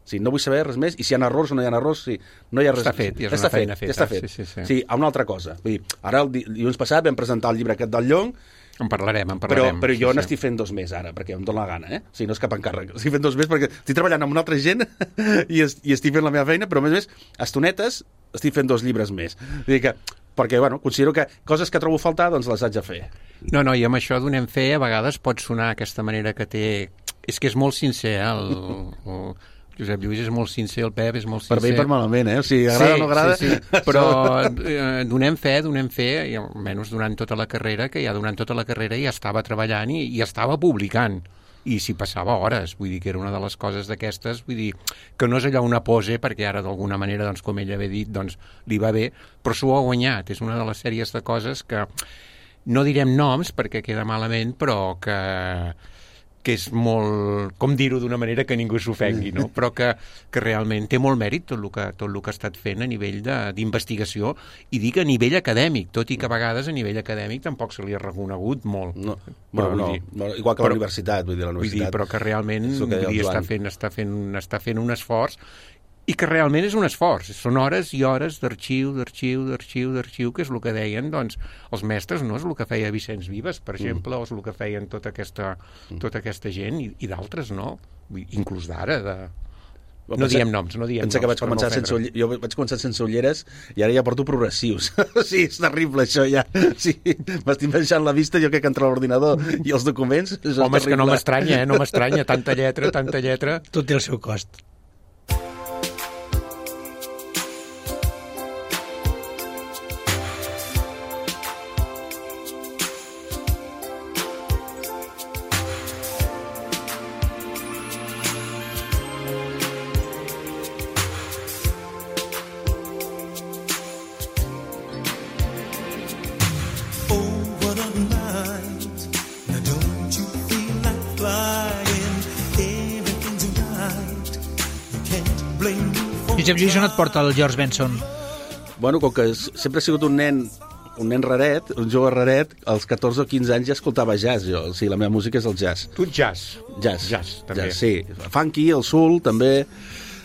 S5: Sí, no vull saber res més, i si hi ha errors o no hi ha errors, sí, no hi ha res.
S4: Està fet, ja és
S5: està
S4: una feina
S5: fet,
S4: feta.
S5: Ja està fet.
S4: Sí, sí, sí.
S5: Sí, a una altra cosa. Vull dir, ara el dilluns passat vam presentar el llibre aquest del Llong,
S4: en parlarem, en parlarem.
S5: Però, però jo
S4: sí,
S5: n'estic fent dos més ara, perquè em dóna la gana, eh? O sigui, no és cap encàrrec. Estic fent dos més perquè estic treballant amb una altra gent i, es, i estic fent la meva feina, però a més a més, estonetes, estic fent dos llibres més. Vull dir que, perquè, bueno, considero que coses que trobo a faltar, doncs les haig de fer.
S4: No, no, i amb això donem fe, a vegades pot sonar aquesta manera que té... És que és molt sincer, eh? El, el... Josep Lluís és molt sincer, el Pep és molt sincer.
S5: Per bé i per malament, eh? O sigui, agrada
S4: sí,
S5: o no agrada...
S4: Sí, sí. Però eh, donem fe, donem fe, i almenys durant tota la carrera, que ja durant tota la carrera ja estava treballant i, i estava publicant. I s'hi passava hores, vull dir que era una de les coses d'aquestes, vull dir que no és allò una pose, perquè ara d'alguna manera, doncs, com ell havia dit, doncs, li va bé, però s'ho ha guanyat. És una de les sèries de coses que no direm noms perquè queda malament, però que... que és molt, com dir-ho d'una manera que ningú s'ofengui, no? Però que, que realment té molt mèrit tot el que, tot el que ha estat fent a nivell d'investigació i dic a nivell acadèmic, tot i que a vegades a nivell acadèmic tampoc se li ha reconegut molt.
S5: No, però, no,
S4: dir,
S5: no, igual que però, la universitat, vull dir, la universitat.
S4: Vull dir, però que realment que vull dir, està, fent, està, fent, està fent un esforç i que realment és un esforç. Són hores i hores d'arxiu, d'arxiu, d'arxiu, d'arxiu, que és el que deien, doncs, els mestres, no? És el que feia Vicenç Vives, per exemple, mm. o és el que feien tota aquesta, tota aquesta gent, i, i d'altres, no? Inclús d'ara, de... No pensa, diem noms, no diem
S5: pensa
S4: noms.
S5: Que vaig començar no sense, jo vaig començar sense ulleres i ara ja porto progressius. Sí, és terrible això ja. Sí, m'estic baixant la vista, jo crec que entre l'ordinador i els documents...
S4: Home, és, és que no m'estranya, eh? No m'estranya, tanta lletra, tanta lletra...
S3: Tot té el seu cost. Josep Lluís, on et porta el George Benson?
S5: Bueno, com que sempre he sigut un nen un nen raret, un jove raret, als catorze o quinze anys ja escoltava jazz, jo. O sigui, la meva música és el jazz.
S4: Tu ets jazz?
S5: Jazz.
S4: Jazz, també.
S5: Jazz, sí. Funky, el soul, també.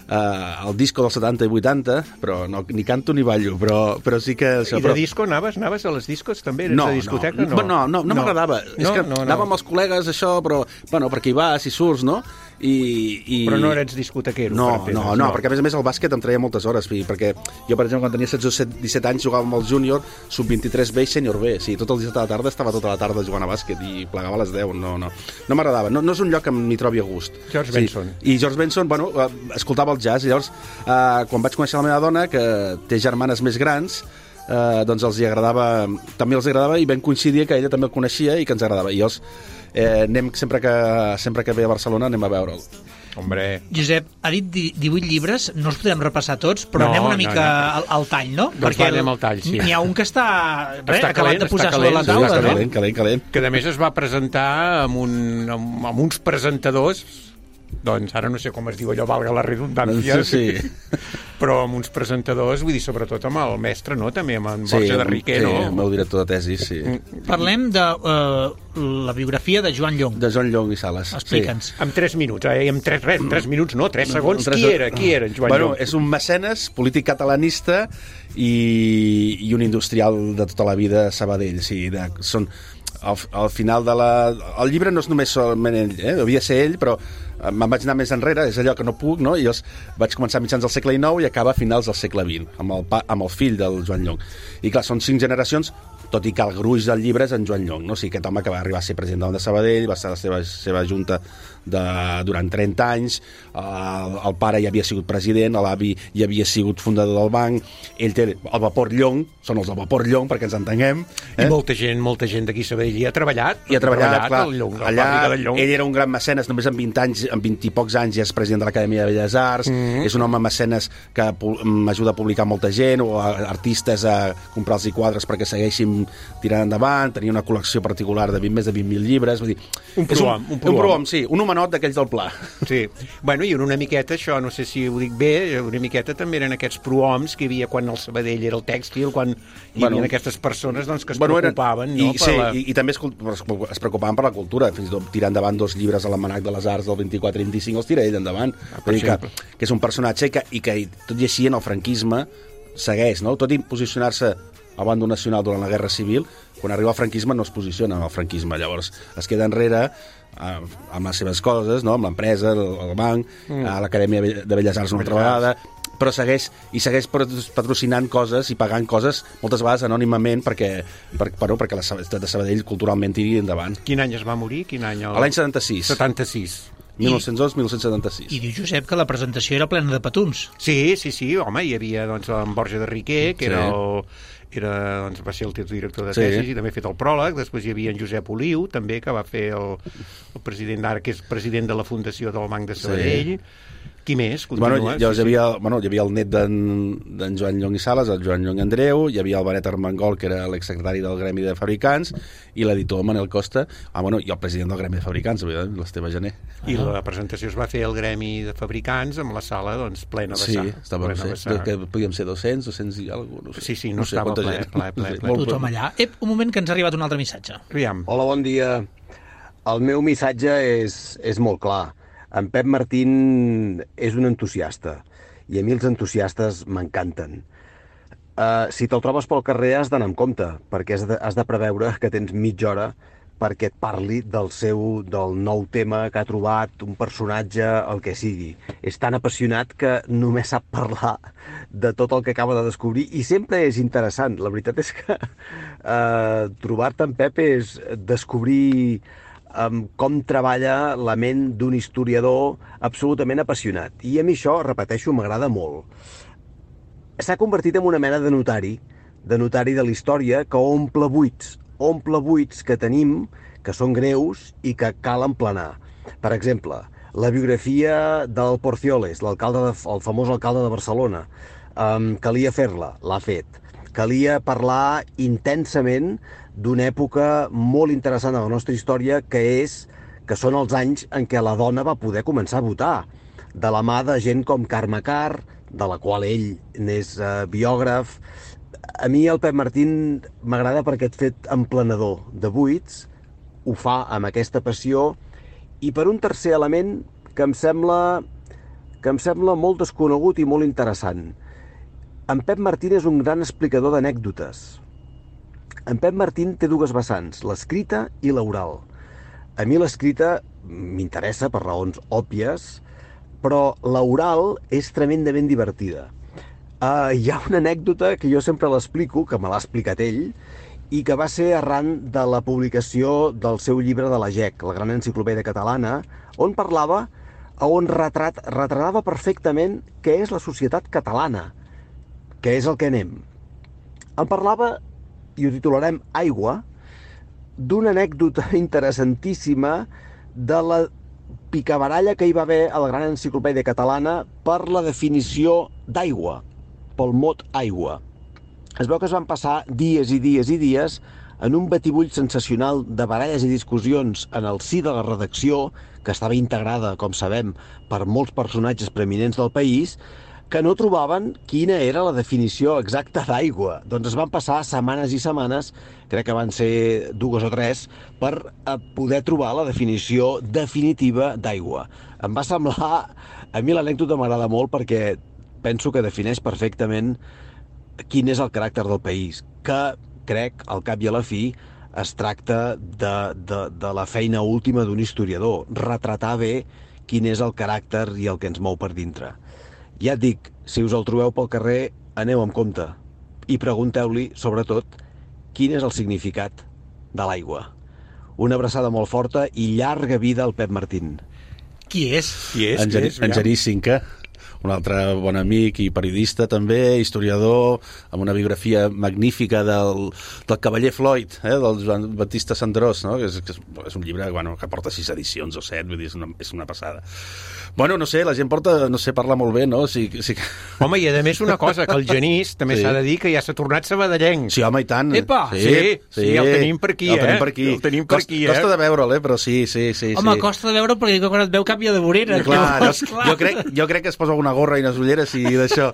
S5: Uh, el disco dels setanta i vuitanta, però no, ni canto ni ballo, però, però sí que... Això,
S4: I de
S5: però...
S4: disco anaves? Anaves a les discos també? Eres
S5: no,
S4: de discoteca?
S5: No, no, no, no, no m'agradava. No, és que no, no. Anava amb els col·legues, això, però, bueno, perquè hi vas i surts, no? I, i...
S4: Però no eres discotequero?
S5: No,
S4: per
S5: no, no, no, perquè a més a més el bàsquet em treia moltes hores, perquè jo, per exemple, quan tenia setze o disset anys jugava amb el júnior, sub vint-i-tres B i sènior B, sí, tot el dia de la tarda estava tota la tarda jugant a bàsquet i plegava a les deu, no, no, no m'agradava, no, no és un lloc que m'hi trobi a gust.
S4: George sí. Benson.
S5: I George Benson, bueno, escoltava el jazz, i llavors, eh, quan vaig conèixer la meva dona, que té germanes més grans, eh, doncs els hi agradava, també els agradava, i vam coincidir que ella també el coneixia i que ens agradava, i llavors eh, anem, sempre que, sempre que ve a Barcelona anem a veure'l.
S4: Hombre.
S3: Josep, ha dit divuit llibres, no els podem repassar tots, però no, anem una mica no, no. Al, al tall, no?
S4: Doncs Perquè va, anem al tall, sí.
S3: N'hi ha un que està, res,
S4: està
S3: acabat
S4: calent,
S3: de posar
S4: calent,
S3: sobre la taula,
S5: està
S3: no?
S5: Calent, calent, calent.
S4: Que a més es va presentar amb, un, amb, amb uns presentadors, doncs ara no sé com es diu allò, valga la redundància,
S5: sí, sí.
S4: Però amb uns presentadors, vull dir, sobretot amb el mestre, no?, també amb en Borja
S5: sí,
S4: de Riquer,
S5: sí,
S4: no?
S5: Sí, amb el director de tesi, sí.
S3: Parlem de uh, la biografia de Joan Llong.
S5: De Joan Llong i Sales.
S3: Explica'ns.
S5: Sí.
S4: Amb tres minuts, eh? Amb tres, res, tres minuts, no, tres segons. Tres... Qui era? Qui era en Joan
S5: bueno,
S4: Llong?
S5: És un mecenes, polític catalanista i, i un industrial de tota la vida a Sabadell. Sí, de, són... Al, al final de la... El llibre no és només solament ell, eh? Devia ser ell, però me'n vaig anar més enrere, és allò que no puc, no? I llavors vaig començar a mitjans del segle dinou i acaba a finals del segle vint, amb el, pa, amb el fill del Joan Llong. I clar, són cinc generacions, tot i que el gruix del llibre és en Joan Llong, no? O sigui, aquest home que va arribar a ser president de Sabadell, va estar a la seva, seva junta de, durant trenta anys, el, el pare ja havia sigut president, l'avi ja havia sigut fundador del banc, ell té el vapor Llong, són els del vapor Llong, perquè ens entenguem. Eh?
S4: I molta gent, molta gent d'aquí a Sabadell hi ha treballat.
S5: I ha treballat, treballat clar,
S4: Llong,
S5: allà ell era un gran mecenes, només amb vint anys, amb vint i pocs anys ja és president de l'Acadèmia de Belles Arts, mm-hmm. és un home mecenes que m'ajuda a publicar molta gent, o a artistes a comprar-los i quadres perquè segueixin tirant endavant, tenia una col·lecció particular de vint, més de vint mil llibres, vull dir...
S4: Un prohom,
S5: un, un prohom. Un prohom, sí, un homenot d'aquells del Pla.
S4: Sí, bueno, i una miqueta, això, no sé si ho dic bé, una miqueta també eren aquests prohoms que hi havia quan el Sabadell era el tèxtil, quan hi
S5: bueno,
S4: havia aquestes persones doncs, que es
S5: bueno,
S4: preocupaven,
S5: eren,
S4: no?
S5: I,
S4: per
S5: sí,
S4: la...
S5: i, i també es, es preocupaven per la cultura, fins i tot tirant endavant dos llibres a l'Almanac de les Arts del vint-i-quatre i vint-i-cinc, els tira ell endavant. Ah, dir que, que és un personatge que, i que tot i així en el franquisme segueix, no? Tot i posicionar-se al bàndol nacional durant la Guerra Civil, quan arriba al franquisme no es posiciona en el franquisme, llavors es queda enrere eh, amb les seves coses, no? Amb l'empresa, el, el banc, mm. a l'Acadèmia de Belles Arts una altra vegada, però segueix i segueix patrocinant coses i pagant coses moltes vegades anònimament perquè, per, bueno, perquè la ciutat de Sabadell culturalment tiri endavant.
S4: Quin any es va morir? Quin any? El...
S5: L'any setanta-sis.
S4: setanta-sis.
S5: mil nou-cents onze mil nou-cents setanta-sis.
S3: I diu Josep que la presentació era plena de petums.
S4: Sí, sí, sí, home, hi havia doncs, en Borja de Riquer, que sí. era el... Era, doncs, va ser el director de tesis sí. i també ha fet el pròleg. Després hi havia en Josep Oliu, també, que va fer el, el president d'ara, que és president de la Fundació del Banc de Sabadell. Sí. Qui més? Continua?
S5: Bueno, llavors
S4: sí,
S5: hi havia, bueno, hi havia el net d'en Joan Llong i Sales, el Joan Llong Andreu, hi havia el Benet Armengol, que era l'exsecretari del Gremi de Fabricants, i l'editor Manel Costa, ah, bueno, i el president del Gremi de Fabricants, l'Esteve Gené.
S4: I la presentació es va fer al Gremi de Fabricants amb la sala doncs, plena
S5: sí,
S4: vessar.
S5: Sí, estava, no sé, que podíem ser dos-cents, dos-cents i alguna cosa, no sé.
S4: Sí, sí, no,
S5: no sé
S4: estava ple, ple, ple, ple.
S3: Tothom allà. Ep, un moment que ens ha arribat un altre missatge.
S4: Aviam.
S7: Hola, bon dia. El meu missatge és, és molt clar. En Pep Martín és un entusiasta i a mi els entusiastes m'encanten. Uh, si te'l trobes pel carrer has d'anar amb compte, perquè has de, has de preveure que tens mitja hora perquè et parli del seu, del nou tema que ha trobat, un personatge, el que sigui. És tan apassionat que només sap parlar de tot el que acaba de descobrir i sempre és interessant. La veritat és que uh, trobar-te en Pep és descobrir um, com treballa la ment d'un historiador absolutament apassionat. I a mi això, repeteixo, m'agrada molt. S'ha convertit en una mena de notari, de notari de la història que omple buits, omple buits que tenim, que són greus i que cal emplenar. Per exemple, la biografia del Porcioles, l'alcalde de, el famós alcalde de Barcelona. Um, calia fer-la, l'ha fet. Calia parlar intensament d'una època molt interessant de la nostra història, que és que són els anys en què la dona va poder començar a votar, de la mà de gent com Carme Carr, de la qual ell n'és eh, biògraf, a mi el Pep Martín m'agrada per aquest fet emplenedor de buits, ho fa amb aquesta passió, i per un tercer element que em sembla, que em sembla molt desconegut i molt interessant. En Pep Martín és un gran explicador d'anècdotes. En Pep Martín té dues vessants, l'escrita i l'oral. A mi l'escrita m'interessa per raons òbvies, però l'oral és tremendament divertida. Uh, hi ha una anècdota que jo sempre l'explico, que me l'ha explicat ell, i que va ser arran de la publicació del seu llibre de la G E C, la Gran Enciclopèdia Catalana, on parlava, on retrat, retratava perfectament què és la societat catalana, què és el que anem. En parlava, i ho titularem Aigua, d'una anècdota interessantíssima de la picabaralla que hi va haver a la Gran Enciclopèdia Catalana per la definició d'aigua, pel mot aigua. Es veu que es van passar dies i dies i dies en un batibull sensacional de baralles i discussions en el si de la redacció, que estava integrada, com sabem, per molts personatges preeminents del país, que no trobaven quina era la definició exacta d'aigua. Doncs es van passar setmanes i setmanes, crec que van ser dues o tres, per poder trobar la definició definitiva d'aigua. Em va semblar... A mi l'anècdota m'agrada molt perquè penso que defineix perfectament quin és el caràcter del país, que crec, al cap i a la fi, es tracta de, de, de la feina última d'un historiador, retratar bé quin és el caràcter i el que ens mou per dintre. Ja et dic, si us el trobeu pel carrer, aneu amb compte i pregunteu-li, sobretot, quin és el significat de l'aigua. Una abraçada molt forta i llarga vida al Pep Martín.
S3: Qui és?
S4: Qui és?
S5: En, Geri, en Genís Cinca, un altre bon amic i periodista també, historiador, amb una biografia magnífica del, del cavaller Floyd, eh, del Joan Baptista Cendrós, no? que és, que és un llibre bueno, que porta sis edicions o set, vull dir, és una, és una passada. Bueno, no sé, la gent porta, no sé, parla molt bé, no? Sí, sí.
S4: Home, i a més una cosa, que el Genís també
S5: Sí.
S4: s'ha de dir que ja s'ha tornat sabadellenc.
S5: Sí, home, i tant.
S4: Epa, sí, sí, el tenim per aquí,
S5: el tenim
S4: eh?
S5: per aquí.
S4: El tenim per
S5: Costa,
S4: aquí, eh?
S5: Costa de veure'l, eh? Però sí, sí, sí.
S3: Home,
S5: sí.
S3: costa de veure perquè quan et veu canvia de vorera.
S5: Clar, no,
S3: Llavors, clar.
S5: jo, crec, jo crec que es posa una gorra i unes ulleres i d'això.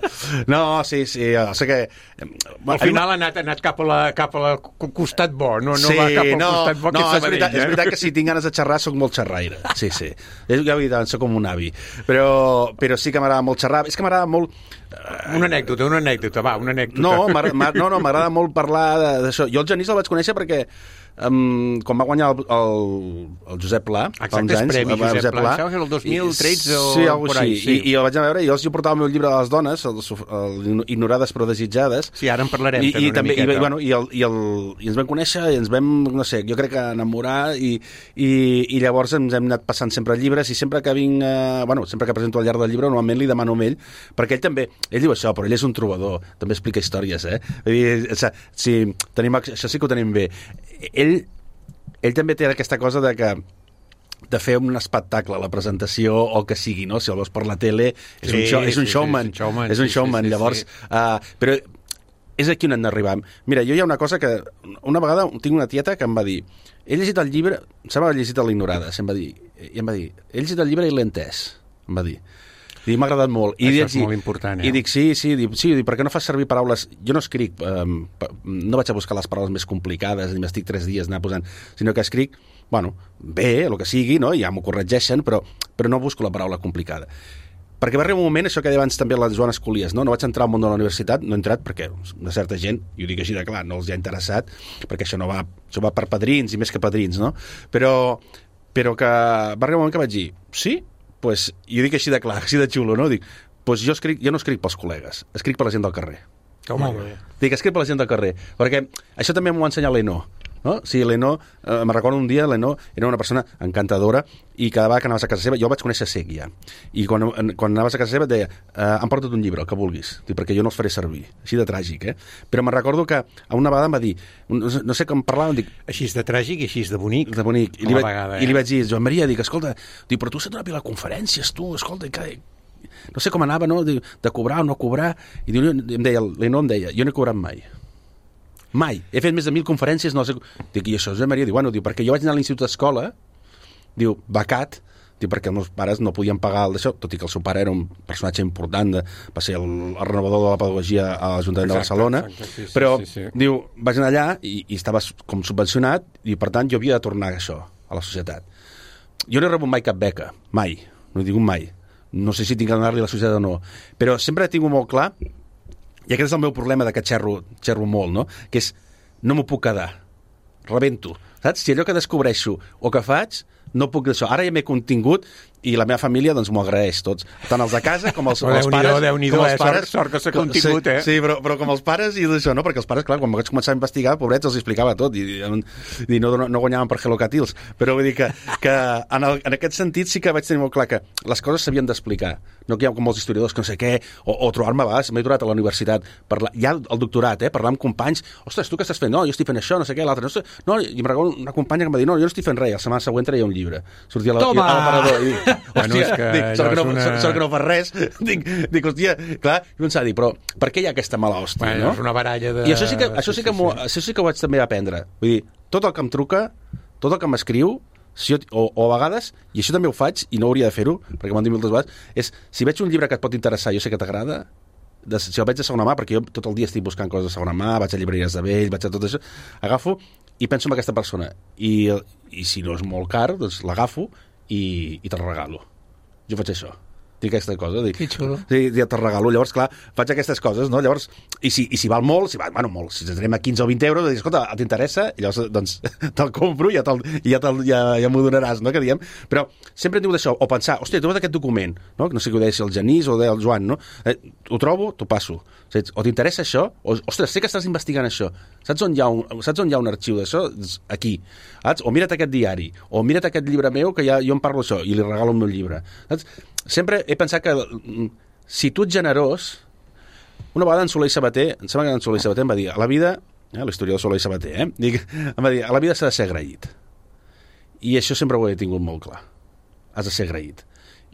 S5: No, sí, sí, o sigui que...
S4: Al final ha anat, ha anat cap, a la, cap a la costat bo, no, no
S5: sí,
S4: va cap al
S5: no,
S4: costat bo,
S5: no,
S4: que
S5: és veritat,
S4: eh?
S5: és veritat que si tinc ganes de xerrar soc molt xerraire, sí, sí. És, ja ho he dit, soc com un avi. Però, però sí que m'agrada molt xerrar. És que m'agrada molt...
S4: Una anècdota, una anècdota, va, una anècdota.
S5: No, m'agrada no, no, m'agrada molt parlar d'això. Jo el Genís el vaig conèixer perquè um, quan va guanyar el, el, el Josep Pla, fa
S4: Exacte,
S5: uns
S4: és
S5: anys,
S4: premi
S5: va,
S4: Josep Pla, això és el dos mil tretze o
S5: sí, algo
S4: por ahí,
S5: així.
S4: sí.
S5: I, I el vaig anar a veure, i jo, jo portava el meu llibre de les dones, el, el Ignorades però desitjades.
S4: Sí, ara en parlarem
S5: I,
S4: també
S5: i,
S4: una
S5: també,
S4: miqueta.
S5: i, bueno, i, el, i, el, i ens vam conèixer i ens vam, no sé, jo crec que enamorar i, i, i llavors ens hem anat passant sempre llibres i sempre que vinc, eh, bueno, sempre que presento al llarg del llibre normalment li demano a ell, perquè ell també, ell diu això, però ell és un trobador, també explica històries, eh? Vull dir, o sigui, sí, tenim, això sí que ho tenim bé. Ell, ell també té aquesta cosa de que de fer un espectacle, la presentació o el que sigui, no? Si el veus per la tele és
S4: Sí,
S5: un, show, és un
S4: sí,
S5: showman,
S4: sí, és un showman,
S5: és un
S4: sí,
S5: showman.
S4: sí, sí,
S5: Llavors,
S4: sí.
S5: Uh, però és aquí on hem d'arribar. Mira, jo hi ha una cosa que una vegada tinc una tieta que em va dir, he llegit el llibre, em sembla que he llegit l'Ignorades, em va dir, i em va dir, he llegit el llibre i l'he entès, em va dir. I m'ha agradat molt. I
S4: Això
S5: dic,
S4: és molt important, eh?
S5: I dic, sí, sí, dic, sí, dic, per què no fas servir paraules... Jo no escric, um, no vaig a buscar les paraules més complicades, ni m'estic tres dies anar posant, sinó que escric, bueno, bé, el que sigui, no? Ja m'ho corregeixen, però, però no busco la paraula complicada. Perquè va arribar un moment, això que deia abans també la Joana Escolies, no? No vaig entrar al món de la universitat, no he entrat perquè una certa gent, i ho dic així de clar, no els hi ha interessat, perquè això no va, això va per padrins i més que padrins, no? Però, però que va arribar un moment que vaig dir, sí, pues, jo dic així de clar, així de xulo, no? Dic, pues jo, escric, jo no escric pels col·legues, escric per la gent del carrer.
S4: Home,
S5: Dic, escric per la gent del carrer, perquè això també m'ho va ensenyar l'Eno, no? Sí, l'Eno, eh, me recordo un dia, l'Eno era una persona encantadora i cada vegada que anaves a casa seva, jo el vaig conèixer cec ja, i quan, quan anaves a casa seva et deia, eh, em porta't un llibre, el que vulguis, dic, perquè jo no els faré servir, així de tràgic, eh? Però me'n recordo que a una vegada em va dir, no, no sé com parlàvem, dic,
S4: així de tràgic i així de bonic.
S5: de bonic, i li,
S4: A la
S5: vaig,
S4: vegada,
S5: i li
S4: eh?
S5: vaig dir, Joan Maria, dic, escolta, dic, però tu has donat a conferències, tu, escolta, que... no sé com anava, no?, de, de cobrar o no cobrar, i diu, em deia, l'Eno em deia, jo no he cobrat mai. Mai. He fet més de mil conferències, no sé... Dic, i això, Joan Maria, diu, bueno, diu, perquè jo vaig anar a l'institut d'escola, diu, becat, Dic, perquè els meus pares no podien pagar el d'això, tot i que el seu pare era un personatge important, de, va ser el, el renovador de la pedagogia a l'Ajuntament de Barcelona,
S4: exacte, sí, sí,
S5: però,
S4: sí, sí.
S5: diu, vaig anar allà i, i estava com subvencionat i, per tant, jo havia de tornar això a la societat. Jo no he rebut mai cap beca, mai, no he tingut mai. No sé si tinc que donar-li a la societat o no, però sempre he tingut molt clar, i aquest és el meu problema de que xerro, xerro molt, no? Que és, no m'ho puc quedar, rebento, saps? Si allò que descobreixo o que faig, no puc d'això. Ara ja m'he contingut i la meva família doncs m'ho agraeix tots, tant els de casa com els,
S4: Oh,
S5: els
S4: Déu-n'hi-do,
S5: pares.
S4: Déu-n'hi-do,
S5: com els
S4: eh? Sort- sort que s'ha
S5: com-
S4: contingut,
S5: sí,
S4: eh?
S5: Sí, però, però com els pares i d'això, no? Perquè els pares, clar, quan vaig començar a investigar, pobrets, els explicava tot i, i no, no guanyaven per Hello Catils. Però vull dir que, que en, el, en aquest sentit sí que vaig tenir molt clar que les coses s'havien d'explicar. No que hi ha com els historiadors que no sé què, o, o trobar-me a vegades, m'he trobat a la universitat, parlar, ja el doctorat, eh? Parlar amb companys, ostres, tu què estàs fent? No, jo estic fent això, no sé què, l'altre, no sé... No, i em recordo una companya que em va dir, no, jo no estic fent res, la setmana següent treia un llibre. Sortia a la,
S3: Toma!
S5: a l'aparador i dic,
S4: Bueno,
S5: hòstia,
S4: és que
S5: dic, sort,
S4: allò
S5: que no,
S4: és una-
S5: sort, sort que no fas res. Dic, dic hòstia, clar, i pensava dir, però per què hi ha aquesta mala hòstia,
S4: Bueno,
S5: no?
S4: és una baralla de...
S5: I això sí que, això sí que,
S4: sí,
S5: m'ho-
S4: sí.
S5: això sí que ho vaig també aprendre. Vull dir, tot el que em truca, tot el que m'escriu, si jo, o, o a vegades, i això també ho faig, i no hauria de fer-ho, perquè m'ho han dit moltes vegades, és, si veig un llibre que et pot interessar, jo sé que t'agrada, de, si el veig de segona mà, perquè jo tot el dia estic buscant coses de segona mà, vaig a llibreries de vell, vaig a tot això, agafo i penso en aquesta persona. I, i si no és molt car, doncs l'agafo i, i te'l regalo. Jo faig això. Dic aquesta cosa. Dic,
S3: Que xulo.
S5: Sí, ja te'l regalo. Llavors, clar, faig aquestes coses, no? Llavors, i si, i si val molt, si val, bueno, molt, si ens anem a quinze o vint euros, dic, escolta, t'interessa? I llavors, doncs, te'l compro i ja, te'l, i ja, te'l, ja, ja m'ho donaràs, no?, que diem. Però sempre diu d'això, o pensar, hòstia, he trobat aquest document, no? No sé què ho deia, si el Genís o ho deia el Joan, no? Eh, ho trobo, t'ho passo. Saps? O t'interessa això? O, ostres, sé que estàs investigant això. Saps on hi ha un, saps on hi ha un arxiu d'això? Aquí. Saps? O mira't aquest diari. O mira't aquest llibre meu, que ja, jo em parlo això, i li regalo el meu llibre. Saps? Sempre he pensat que si tu ets generós... Una vegada en Soler i Sabater, em sembla que en Soler i Sabater em va dir, a la vida, eh, l'historiador Soler i Sabater, eh, dic, em va dir, a la vida s'ha de ser agraït. I això sempre ho he tingut molt clar. Has de ser agraït.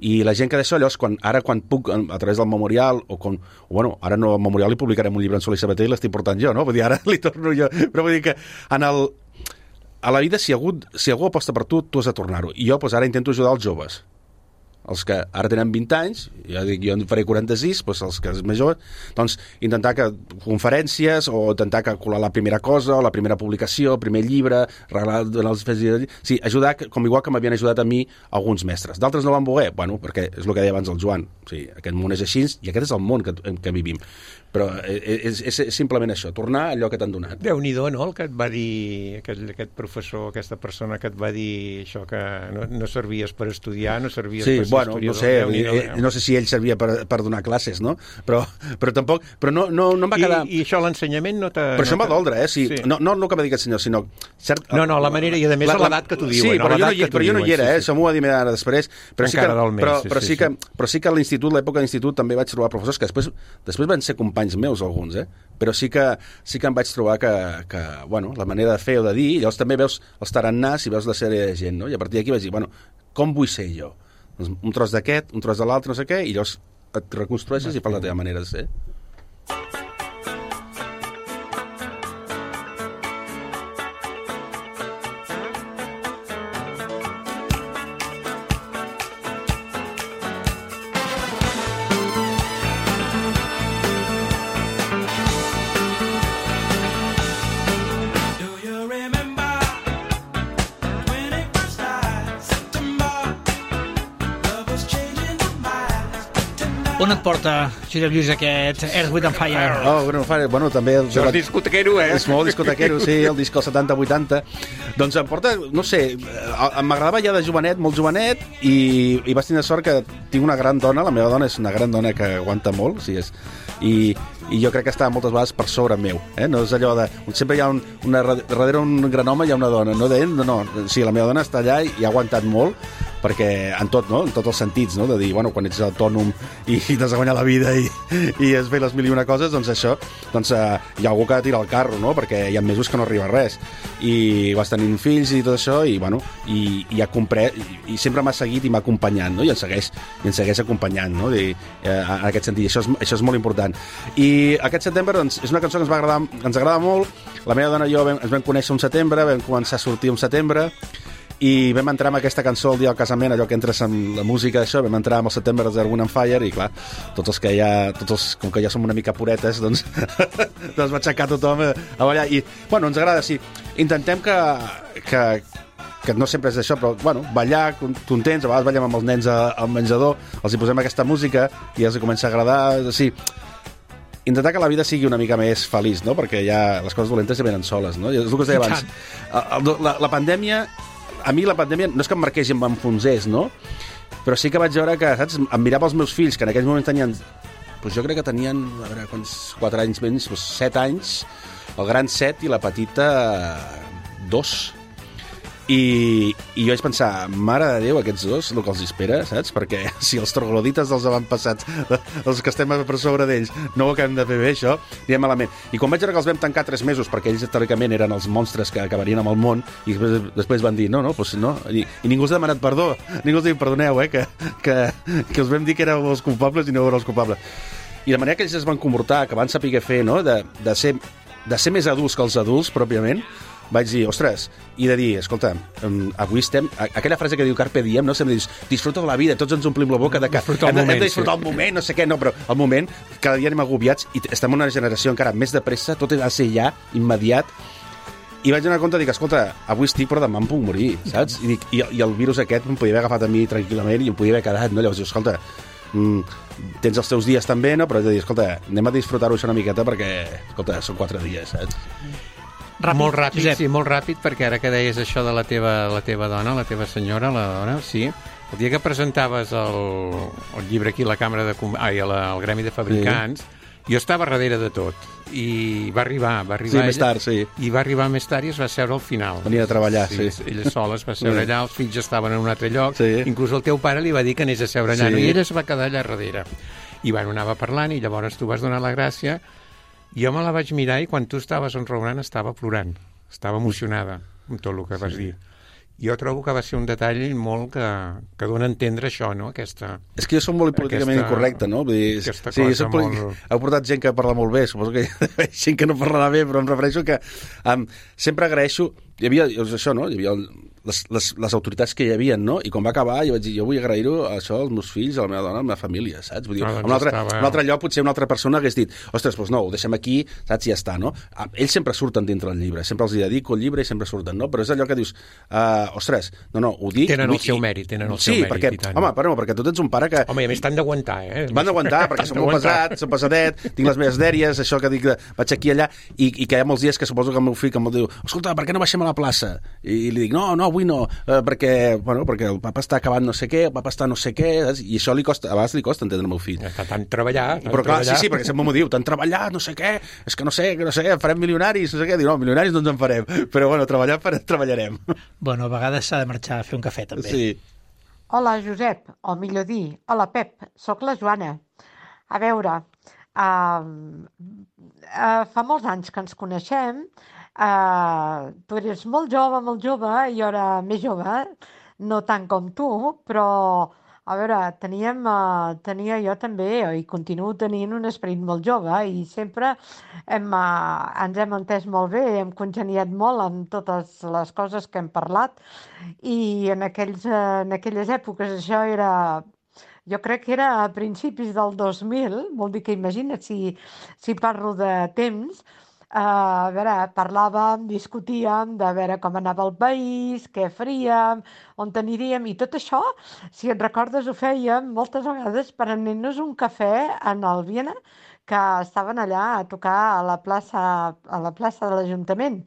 S5: I la gent que d'això, llavors, quan, ara quan puc, a través del memorial, o com, o bueno, ara no al memorial li publicarem un llibre en Soler i Sabater i l'estic portant jo, no? Vull dir, ara li torno jo. Però vull dir que en el, a la vida, si algú, si algú aposta per tu, tu has de tornar-ho. I jo, doncs, ara intento ajudar els joves. Els que ara tenen vint anys, ja dic, jo en faré quaranta-sis, doncs els que és més jove, doncs intentar que conferències o intentar que colar la primera cosa, o la primera publicació, el primer llibre, regalar donar els fets... Sí, ajudar, com igual que m'havien ajudat a mi alguns mestres. D'altres no van voler, bueno, perquè és el que deia abans el Joan. O sigui, aquest món és així i aquest és el món que, en què vivim. Però és, és, és simplement això, tornar a allò que t'han donat.
S4: Déu-n'hi-do, no?, el que et va dir aquest, aquest professor, aquesta persona que et va dir això, que no, no servies per estudiar, no servies
S5: sí,
S4: per ser
S5: bueno,
S4: historiador.
S5: no sé,
S4: Déu-n'hi-do,
S5: eh, no sé si ell servia per, per donar classes, no? Però, però tampoc, però no, no, no em va quedar...
S4: I, I això, l'ensenyament, no t'ha...
S5: Però això em va
S4: no
S5: doldre, eh? Sí,
S4: sí.
S5: No, no el que va dir aquest senyor, sinó... Cert,
S4: No, no, la manera, i a més a l'edat que t'ho diuen.
S5: Sí, però, jo no, hi,
S4: que t'ho
S5: però jo no hi
S4: diuen,
S5: era,
S4: sí,
S5: eh?
S4: sí.
S5: Això m'ho va dir ara després. Però sí que,
S4: Encara del mes,
S5: però,
S4: sí,
S5: però
S4: sí,
S5: sí, que,
S4: sí.
S5: però sí que a l'institut, l'època d'institut, també vaig trobar professors que després, després van ser companys meus, alguns, eh? Però sí que, sí que em vaig trobar que, que, bueno, la manera de fer o de dir, llavors també veus els tarannàs i veus la sèrie de gent, no? I a partir d'aquí vaig dir, bueno, com vull ser jo? Doncs un tros d'aquest, un tros de l'altre, no sé què, i llavors et reconstrueixes i fas la teva manera de ser.
S3: On et porta, Josep Lluís, aquest Earth, Wind and Fire?
S5: Oh, bueno, fa, bueno també... El,
S4: Això és discotequero, eh?
S5: És molt discotequero, sí, el disc del setanta vuitanta. Doncs em porta, no sé, m'agradava ja de jovenet, molt jovenet, i, i vaig tenir sort que tinc una gran dona, la meva dona és una gran dona que aguanta molt, o sigui, és, i, i jo crec que està moltes vegades per sobre meu, eh? No és allò de... Sempre hi ha un, una, darrere un gran home hi ha una dona, no d'ell, no, no, sí, la meva dona està allà i, i ha aguantat molt, perquè en tot, no? En tots els sentits, no? De dir, bueno, quan ets autònom i, i t'has de guanyar la vida i, i has fet les mil i una coses, doncs això, doncs eh, hi ha algú que tira el carro, no? Perquè hi ha mesos que no arriba res. I vas tenint fills i tot això, i bueno, i, i ha comprat, i, i sempre m'ha seguit i m'ha acompanyat, no? I ens segueix, i ens segueix acompanyant, no? I, eh, en aquest sentit, això és, això és molt important. I aquest setembre, doncs, és una cançó que ens va agradar, ens agrada molt. La meva dona i jo vam, ens vam conèixer un setembre, vam començar a sortir un setembre, i vam entrar amb aquesta cançó el dia del casament, allò que entres amb la música d'això, vam entrar amb el September of the Wind and Fire, i clar, tots els que ja, tots els, com que ja som una mica puretes, doncs, doncs va aixecar tothom a, a ballar, i, bueno, ens agrada, sí, intentem que, que, que no sempre és això, però, bueno, ballar, contents, a vegades ballem amb els nens al menjador, els hi posem aquesta música i els hi comença a agradar, sí, intentar que la vida sigui una mica més feliç, no? Perquè ja les coses dolentes ja venen soles, no? És el que us deia abans. La, la pandèmia, a mi la pandèmia no és que em marqués i em enfonsés, no? Però sí que vaig veure que, saps, em mirava els meus fills, que en aquells moments tenien, doncs jo crec que tenien, a veure, quants, quatre anys menys, doncs set anys, el gran set i la petita dos. I, i jo vaig pensar, mare de Déu, aquests dos, el que els espera, saps? Perquè si els troglodites dels avantpassats, els que estem per sobre d'ells, no ho acabem de fer bé, això, anirem malament. I quan vaig veure que els vam tancar tres mesos, perquè ells teòricament eren els monstres que acabarien amb el món, i després, després van dir, no, no, doncs no, i, i ningú us ha demanat perdó, ningú us ha dit, perdoneu, eh, que, que, que us vam dir que éreu els culpables i no éreu els culpables. I de manera que ells es van comportar, que van saber què fer, no?, de, de, ser, de ser més adults que els adults, pròpiament, vaig dir, ostres, i de dir, escolta, avui estem... Aquella frase que diu Carpe Diem, no? Sempre dius, disfruta de la vida, tots ens omplim la boca de que hem de, hem de disfrutar el moment, no sé què, no, però el moment, cada dia anem agobiats i estem en una generació encara més de pressa, tot ha de ser ja, immediat, i vaig donar compte, dic, escolta, avui estic, però demà em puc morir, saps? I, dic, i, i el virus aquest em podia haver agafat a mi tranquil·lament i em podia haver quedat, no? Llavors dius, escolta, mm, tens els teus dies també, no? Però he de dir, escolta, anem a disfrutar-ho això una miqueta perquè, escolta, són quatre dies, saps?
S4: Ràpid, molt ràpid, Josep. Sí, molt ràpid, perquè ara que deies això de la teva, la teva dona, la teva senyora, la dona, sí, el dia que presentaves el, el llibre aquí a la Càmera de... Ai, al Gremi de Fabricants, sí, jo estava darrere de tot, i va arribar, va arribar
S5: sí,
S4: ella,
S5: més tard, sí.
S4: I va arribar més tard i es va seure al final.
S5: Venia a treballar, sí.
S4: sí. Ella sola es va seure
S5: sí.
S4: allà, els fills estaven en un altre lloc,
S5: sí.
S4: Inclús el teu pare li va dir que anés a seure allà,
S5: sí.
S4: no? I ella es va quedar allà darrere. I bueno, anava parlant i llavors tu vas donar la gràcia. Jo me la vaig mirar i quan tu estaves enraonant estava plorant. Estava emocionada amb tot el que vas sí. dir. Jo trobo que va ser un detall molt que, que dona a entendre això, no? Aquesta...
S5: És que jo soc molt políticament aquesta, incorrecte, no? Vull dir,
S4: aquesta
S5: sí,
S4: cosa
S5: molt...
S4: molt...
S5: Heu portat gent que parla molt bé, suposo que hi ha gent que no parlarà bé, però em refereixo que um, sempre agraeixo... Hi havia, això, no? Hi havia les, les, les autoritats que hi havia, no? I quan va acabar jo vaig dir, jo vull agrair-ho això als meus fills, a la meva dona, a la meva família, saps? Vull dir, no, doncs un, altre, estava... un altre lloc potser una altra persona hagués dit, ostres, doncs no, ho deixem aquí, saps? I ja està, no? Ells sempre surten dintre del llibre, sempre els dedico el llibre i sempre surten, no? Però és allò que dius, uh, ostres, no, no, ho dic...
S4: Tenen
S5: vull...
S4: el seu mèrit, tenen el
S5: sí,
S4: seu mèrit.
S5: Perquè,
S4: i tant.
S5: home, però, perquè tu tens un pare que...
S4: Home, i a més t'han d'aguantar, eh?
S5: Van d'aguantar, perquè som molt pesat, som pesadet, tinc les meves dèries, això que dic, de, vaig aquí allà, i, i que hi ha molts dies que suposo que el meu fill que em diu, escolta, per què no baixem a la plaça? I li dic, no, no, avui no, eh, perquè, bueno, perquè el papa està acabant no sé què, el papa està no sé què, i això li costa, a vegades li costa entendre el meu fill.
S4: Està tant treballar, tant
S5: Però clar,
S4: treballar.
S5: sí, sí, perquè sempre m'ho diu, tant treballar, no sé què, és que no sé, que no sé, farem milionaris, no sé què, dic, no, milionaris no ens en farem, però bueno, treballar per, treballarem.
S3: Bueno, a vegades s'ha de marxar a fer un cafè, també.
S5: Sí.
S8: Hola, Josep, o millor dir, hola, Pep, sóc la Joana. A veure, uh, uh, fa molts anys que ens coneixem. Uh, tu eres molt jove, molt jove, i jo era més jove, no tant com tu, però a veure, teníem, uh, tenia jo també, i continuo tenint un esperit molt jove, i sempre hem, uh, ens hem entès molt bé, hem congeniat molt en totes les coses que hem parlat, i en, aquells, uh, en aquelles èpoques això era... Jo crec que era a principis del dos mil, vol dir que imagina't si, si parlo de temps. Uh, a veure, parlàvem, discutíem de veure com anava el país, què faríem, on aniríem, i tot això, si et recordes, ho fèiem moltes vegades per anar-nos un cafè en el Viena, que estaven allà a tocar a la plaça, a la plaça de l'Ajuntament.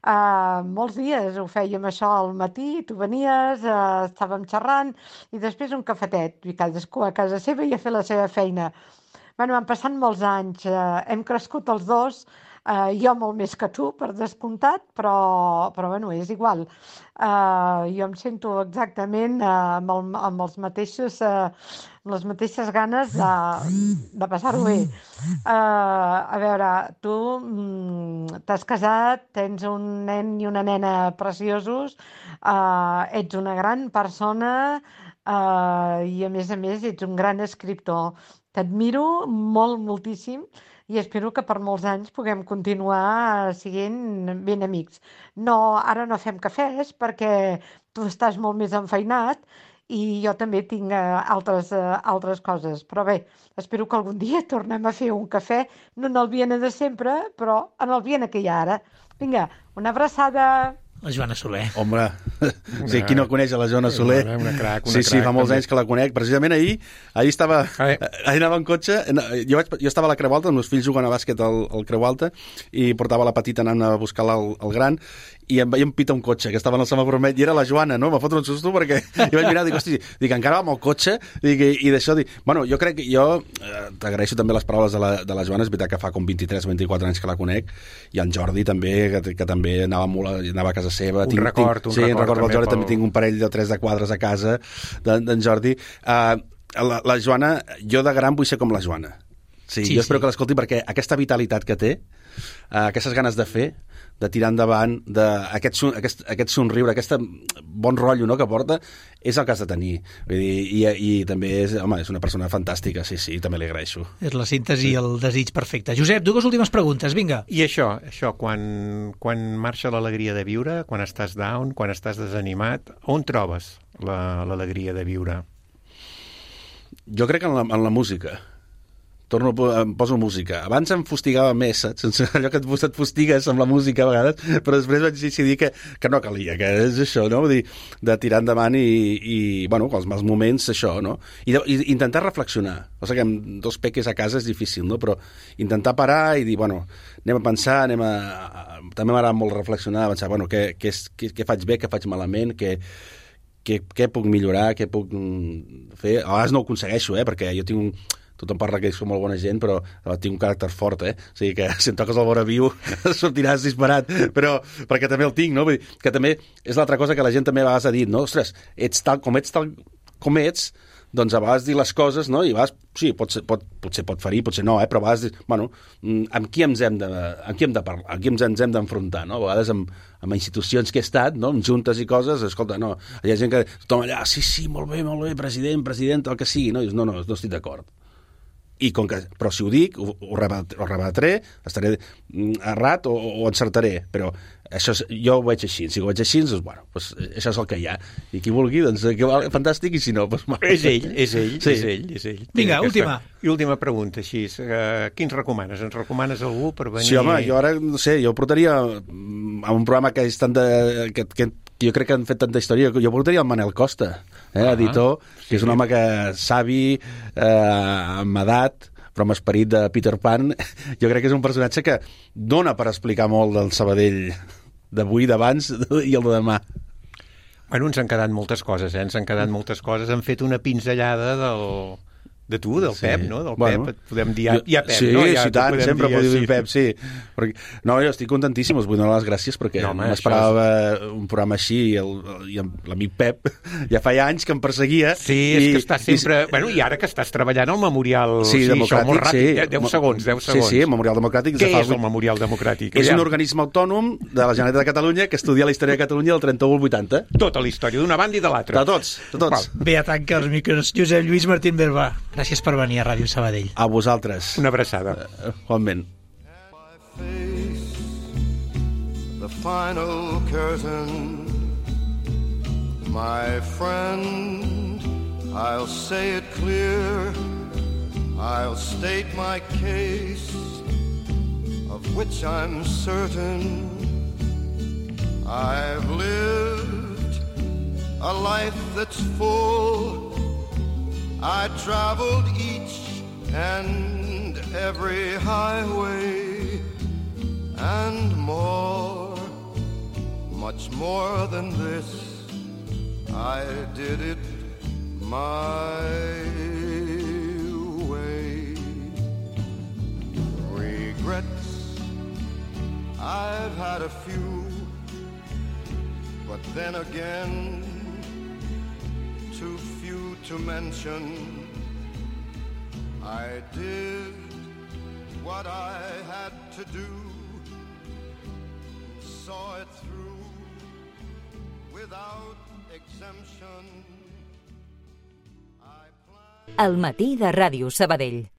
S8: Uh, molts dies ho fèiem això al matí, tu venies, uh, estàvem xerrant, i després un cafetet, i cadascú a casa seva i a fer la seva feina. Bueno, han passat molts anys, uh, hem crescut els dos, Uh, jo molt més que tu, per descomptat, però, però bueno, és igual. Uh, jo em sento exactament uh, amb, el, amb, els mateixos, uh, amb les mateixes ganes de, de passar-ho bé. Uh, a veure, tu mm, t'has casat, tens un nen i una nena preciosos, uh, ets una gran persona, uh, i a més a més ets un gran escriptor. T'admiro molt, moltíssim, i espero que per molts anys puguem continuar sent ben amics. No, ara no fem cafès perquè tu estàs molt més enfeinat i jo també tinc uh, altres, uh, altres coses. Però bé, espero que algun dia tornem a fer un cafè, no en el Viena de sempre, però en el Viena que hi ha ara. Vinga, una abraçada!
S3: La Joana Soler.
S5: Home, sí, qui no coneix a la Joana Soler?
S9: Una, una crac, una
S5: sí, sí,
S9: crac,
S5: fa molts
S9: també.
S5: anys que la conec. Precisament ahir, ahir estava, ahir anava en cotxe, jo, vaig, jo estava a la Creu Alta, els meus fills juguen a bàsquet al, al Creu Alta, i portava la petita anant a buscar el, el gran, i em veia empita un cotxe, que estava en el semàfor vermell, i era la Joana, no? Em va fotre un susto perquè jo vaig mirar, dic, hosti, dic, encara va amb el cotxe, dic, i, i d'això, dic, bueno, jo crec que jo eh, t'agraeixo també les paraules de la, de la Joana, és veritat que fa com vint-i-tres o vint-i-quatre anys que la conec, i en Jordi també, que, que també anava, molt, anava a casa seva.
S9: Un
S5: tinc,
S9: record,
S5: tinc,
S9: un
S5: sí,
S9: record.
S5: record del Jordi,
S9: pel...
S5: també tinc un parell de tres de quadres a casa d'en Jordi. Uh, la, la Joana, jo de gran vull ser com la Joana. Sí,
S3: Sí,
S5: jo espero
S3: sí.
S5: que l'escolti perquè aquesta vitalitat que té, uh, aquestes ganes de fer, de tirar endavant, de, aquest, son- aquest, aquest somriure, aquest bon rotllo, no, que porta, és el que has de tenir. Vull dir, i, i també és, home, és una persona fantàstica, sí, sí, també li agraeixo.
S3: És la síntesi i el desig perfecte. Josep, dues últimes preguntes, vinga.
S9: I això, això quan, quan marxa l'alegria de viure, quan estàs down, quan estàs desanimat, on trobes la- l'alegria de viure?
S5: Jo crec que en la, en la música. Torno, a po- em poso música. Abans em fustigava més, saps? Sense allò que et, et fustigues amb la música a vegades, però després vaig decidir que, que no calia, que és això, no? Vull dir, de tirar endavant i, i bueno, els mals moments, això, no? I, de, i intentar reflexionar. O sigui que amb dos peques a casa és difícil, no? Però intentar parar i dir, bueno, anem a pensar, anem a... a també m'agrada molt reflexionar, pensar, bueno, què, què, és, què, què faig bé, què faig malament, què, què, què puc millorar, què puc mm, fer. A vegades no ho aconsegueixo, eh? Perquè jo tinc un... Tothom parla que som molt bona gent, però eh, tinc un caràcter fort, eh? O sigui que si em toques el vora viu sortiràs disparat, però perquè també el tinc, no? Vull dir, que també és l'altra cosa que la gent també a vegades ha dit, no? Ostres, ets tal com ets, tal com ets, doncs a vegades dir les coses, no? I a vegades, sí, pot ser, pot, potser pot ferir, potser no, eh? Però a vegades dir, bueno, mm, amb qui ens hem de, amb qui hem de parlar, amb qui ens, ens hem d'enfrontar, no? A vegades amb, amb institucions que he estat, no? Amb juntes i coses, escolta, no, hi ha gent que tothom allà, sí, sí, molt bé, molt bé, president, president, el que sigui, no? I dius, no, no, no estic d'acord. I com que, però si ho dic, ho, ho, rebat, ho rebatré, estaré errat o, o encertaré, però això és, jo ho veig així, si ho veig així, doncs, bueno, doncs, això és el que hi ha, i qui vulgui, doncs, que va, fantàstic, i si no, doncs...
S9: És ell, és ell,
S5: sí.
S9: és ell, és ell.
S3: Vinga,
S9: Aquesta-
S3: última.
S9: I última pregunta, així, uh, qui ens recomanes? Ens recomanes algú per venir...
S5: Sí, home, jo ara, no sé, jo portaria mm, a un programa que és tant de... Que, que, que jo crec que han fet tanta història, jo portaria el Manel Costa, eh,
S9: Ah,
S5: editor, que és un home que savi, eh, amb edat, però amb esperit de Peter Pan, jo crec que és un personatge que dona per explicar molt del Sabadell d'avui, d'abans i el de demà.
S9: Bueno, ens han quedat moltes coses, eh? Ens han quedat moltes coses. Han fet una pinzellada del... de tu, del
S5: Sí.
S9: Pep, no? Del
S5: Bueno,
S9: Pep, et podem dir ja, ja Pep,
S5: sí,
S9: no? Ja
S5: sí,
S9: t'ho
S5: tant,
S9: podem
S5: sempre
S9: dir,
S5: podeu dir
S9: sí.
S5: Pep, sí. Perquè, no, jo estic contentíssim, us vull donar les gràcies perquè
S9: No,
S5: no,
S9: home,
S5: m'esperava un programa així i, el, i l'amic Pep ja feia anys que em perseguia.
S9: Sí, és que estàs sempre... I, bueno, i ara que estàs treballant al Memorial...
S5: Sí,
S9: això
S5: democràtic,
S9: molt ràpid,
S5: sí.
S9: eh? deu segons, deu segons.
S5: Sí, sí, el Memorial Democràtic.
S9: Què
S5: de fa
S9: és el
S5: vuit-
S9: Memorial Democràtic?
S5: És
S9: Aviam.
S5: un organisme autònom de la Generalitat de Catalunya que estudia la història de Catalunya del trenta-u al vuitanta.
S9: Tota la història, d'una banda i de l'altra.
S5: De tots, de tots.
S3: Bé, a tancar els micros. Josep Lluís Martín Berba, gràcies per venir a Ràdio Sabadell.
S5: A vosaltres.
S9: Una abraçada.
S5: Igualment.
S10: Face the final curtain, my friend, I'll say it clear, I'll state my case, of which I'm certain. I've lived a life that's full, I traveled each and every highway and more, much more than this, I did it my way. Regrets, I've had a few, but then again, too few to mention. I did what I had to do, saw it through without exemption.
S1: El matí de Ràdio Sabadell.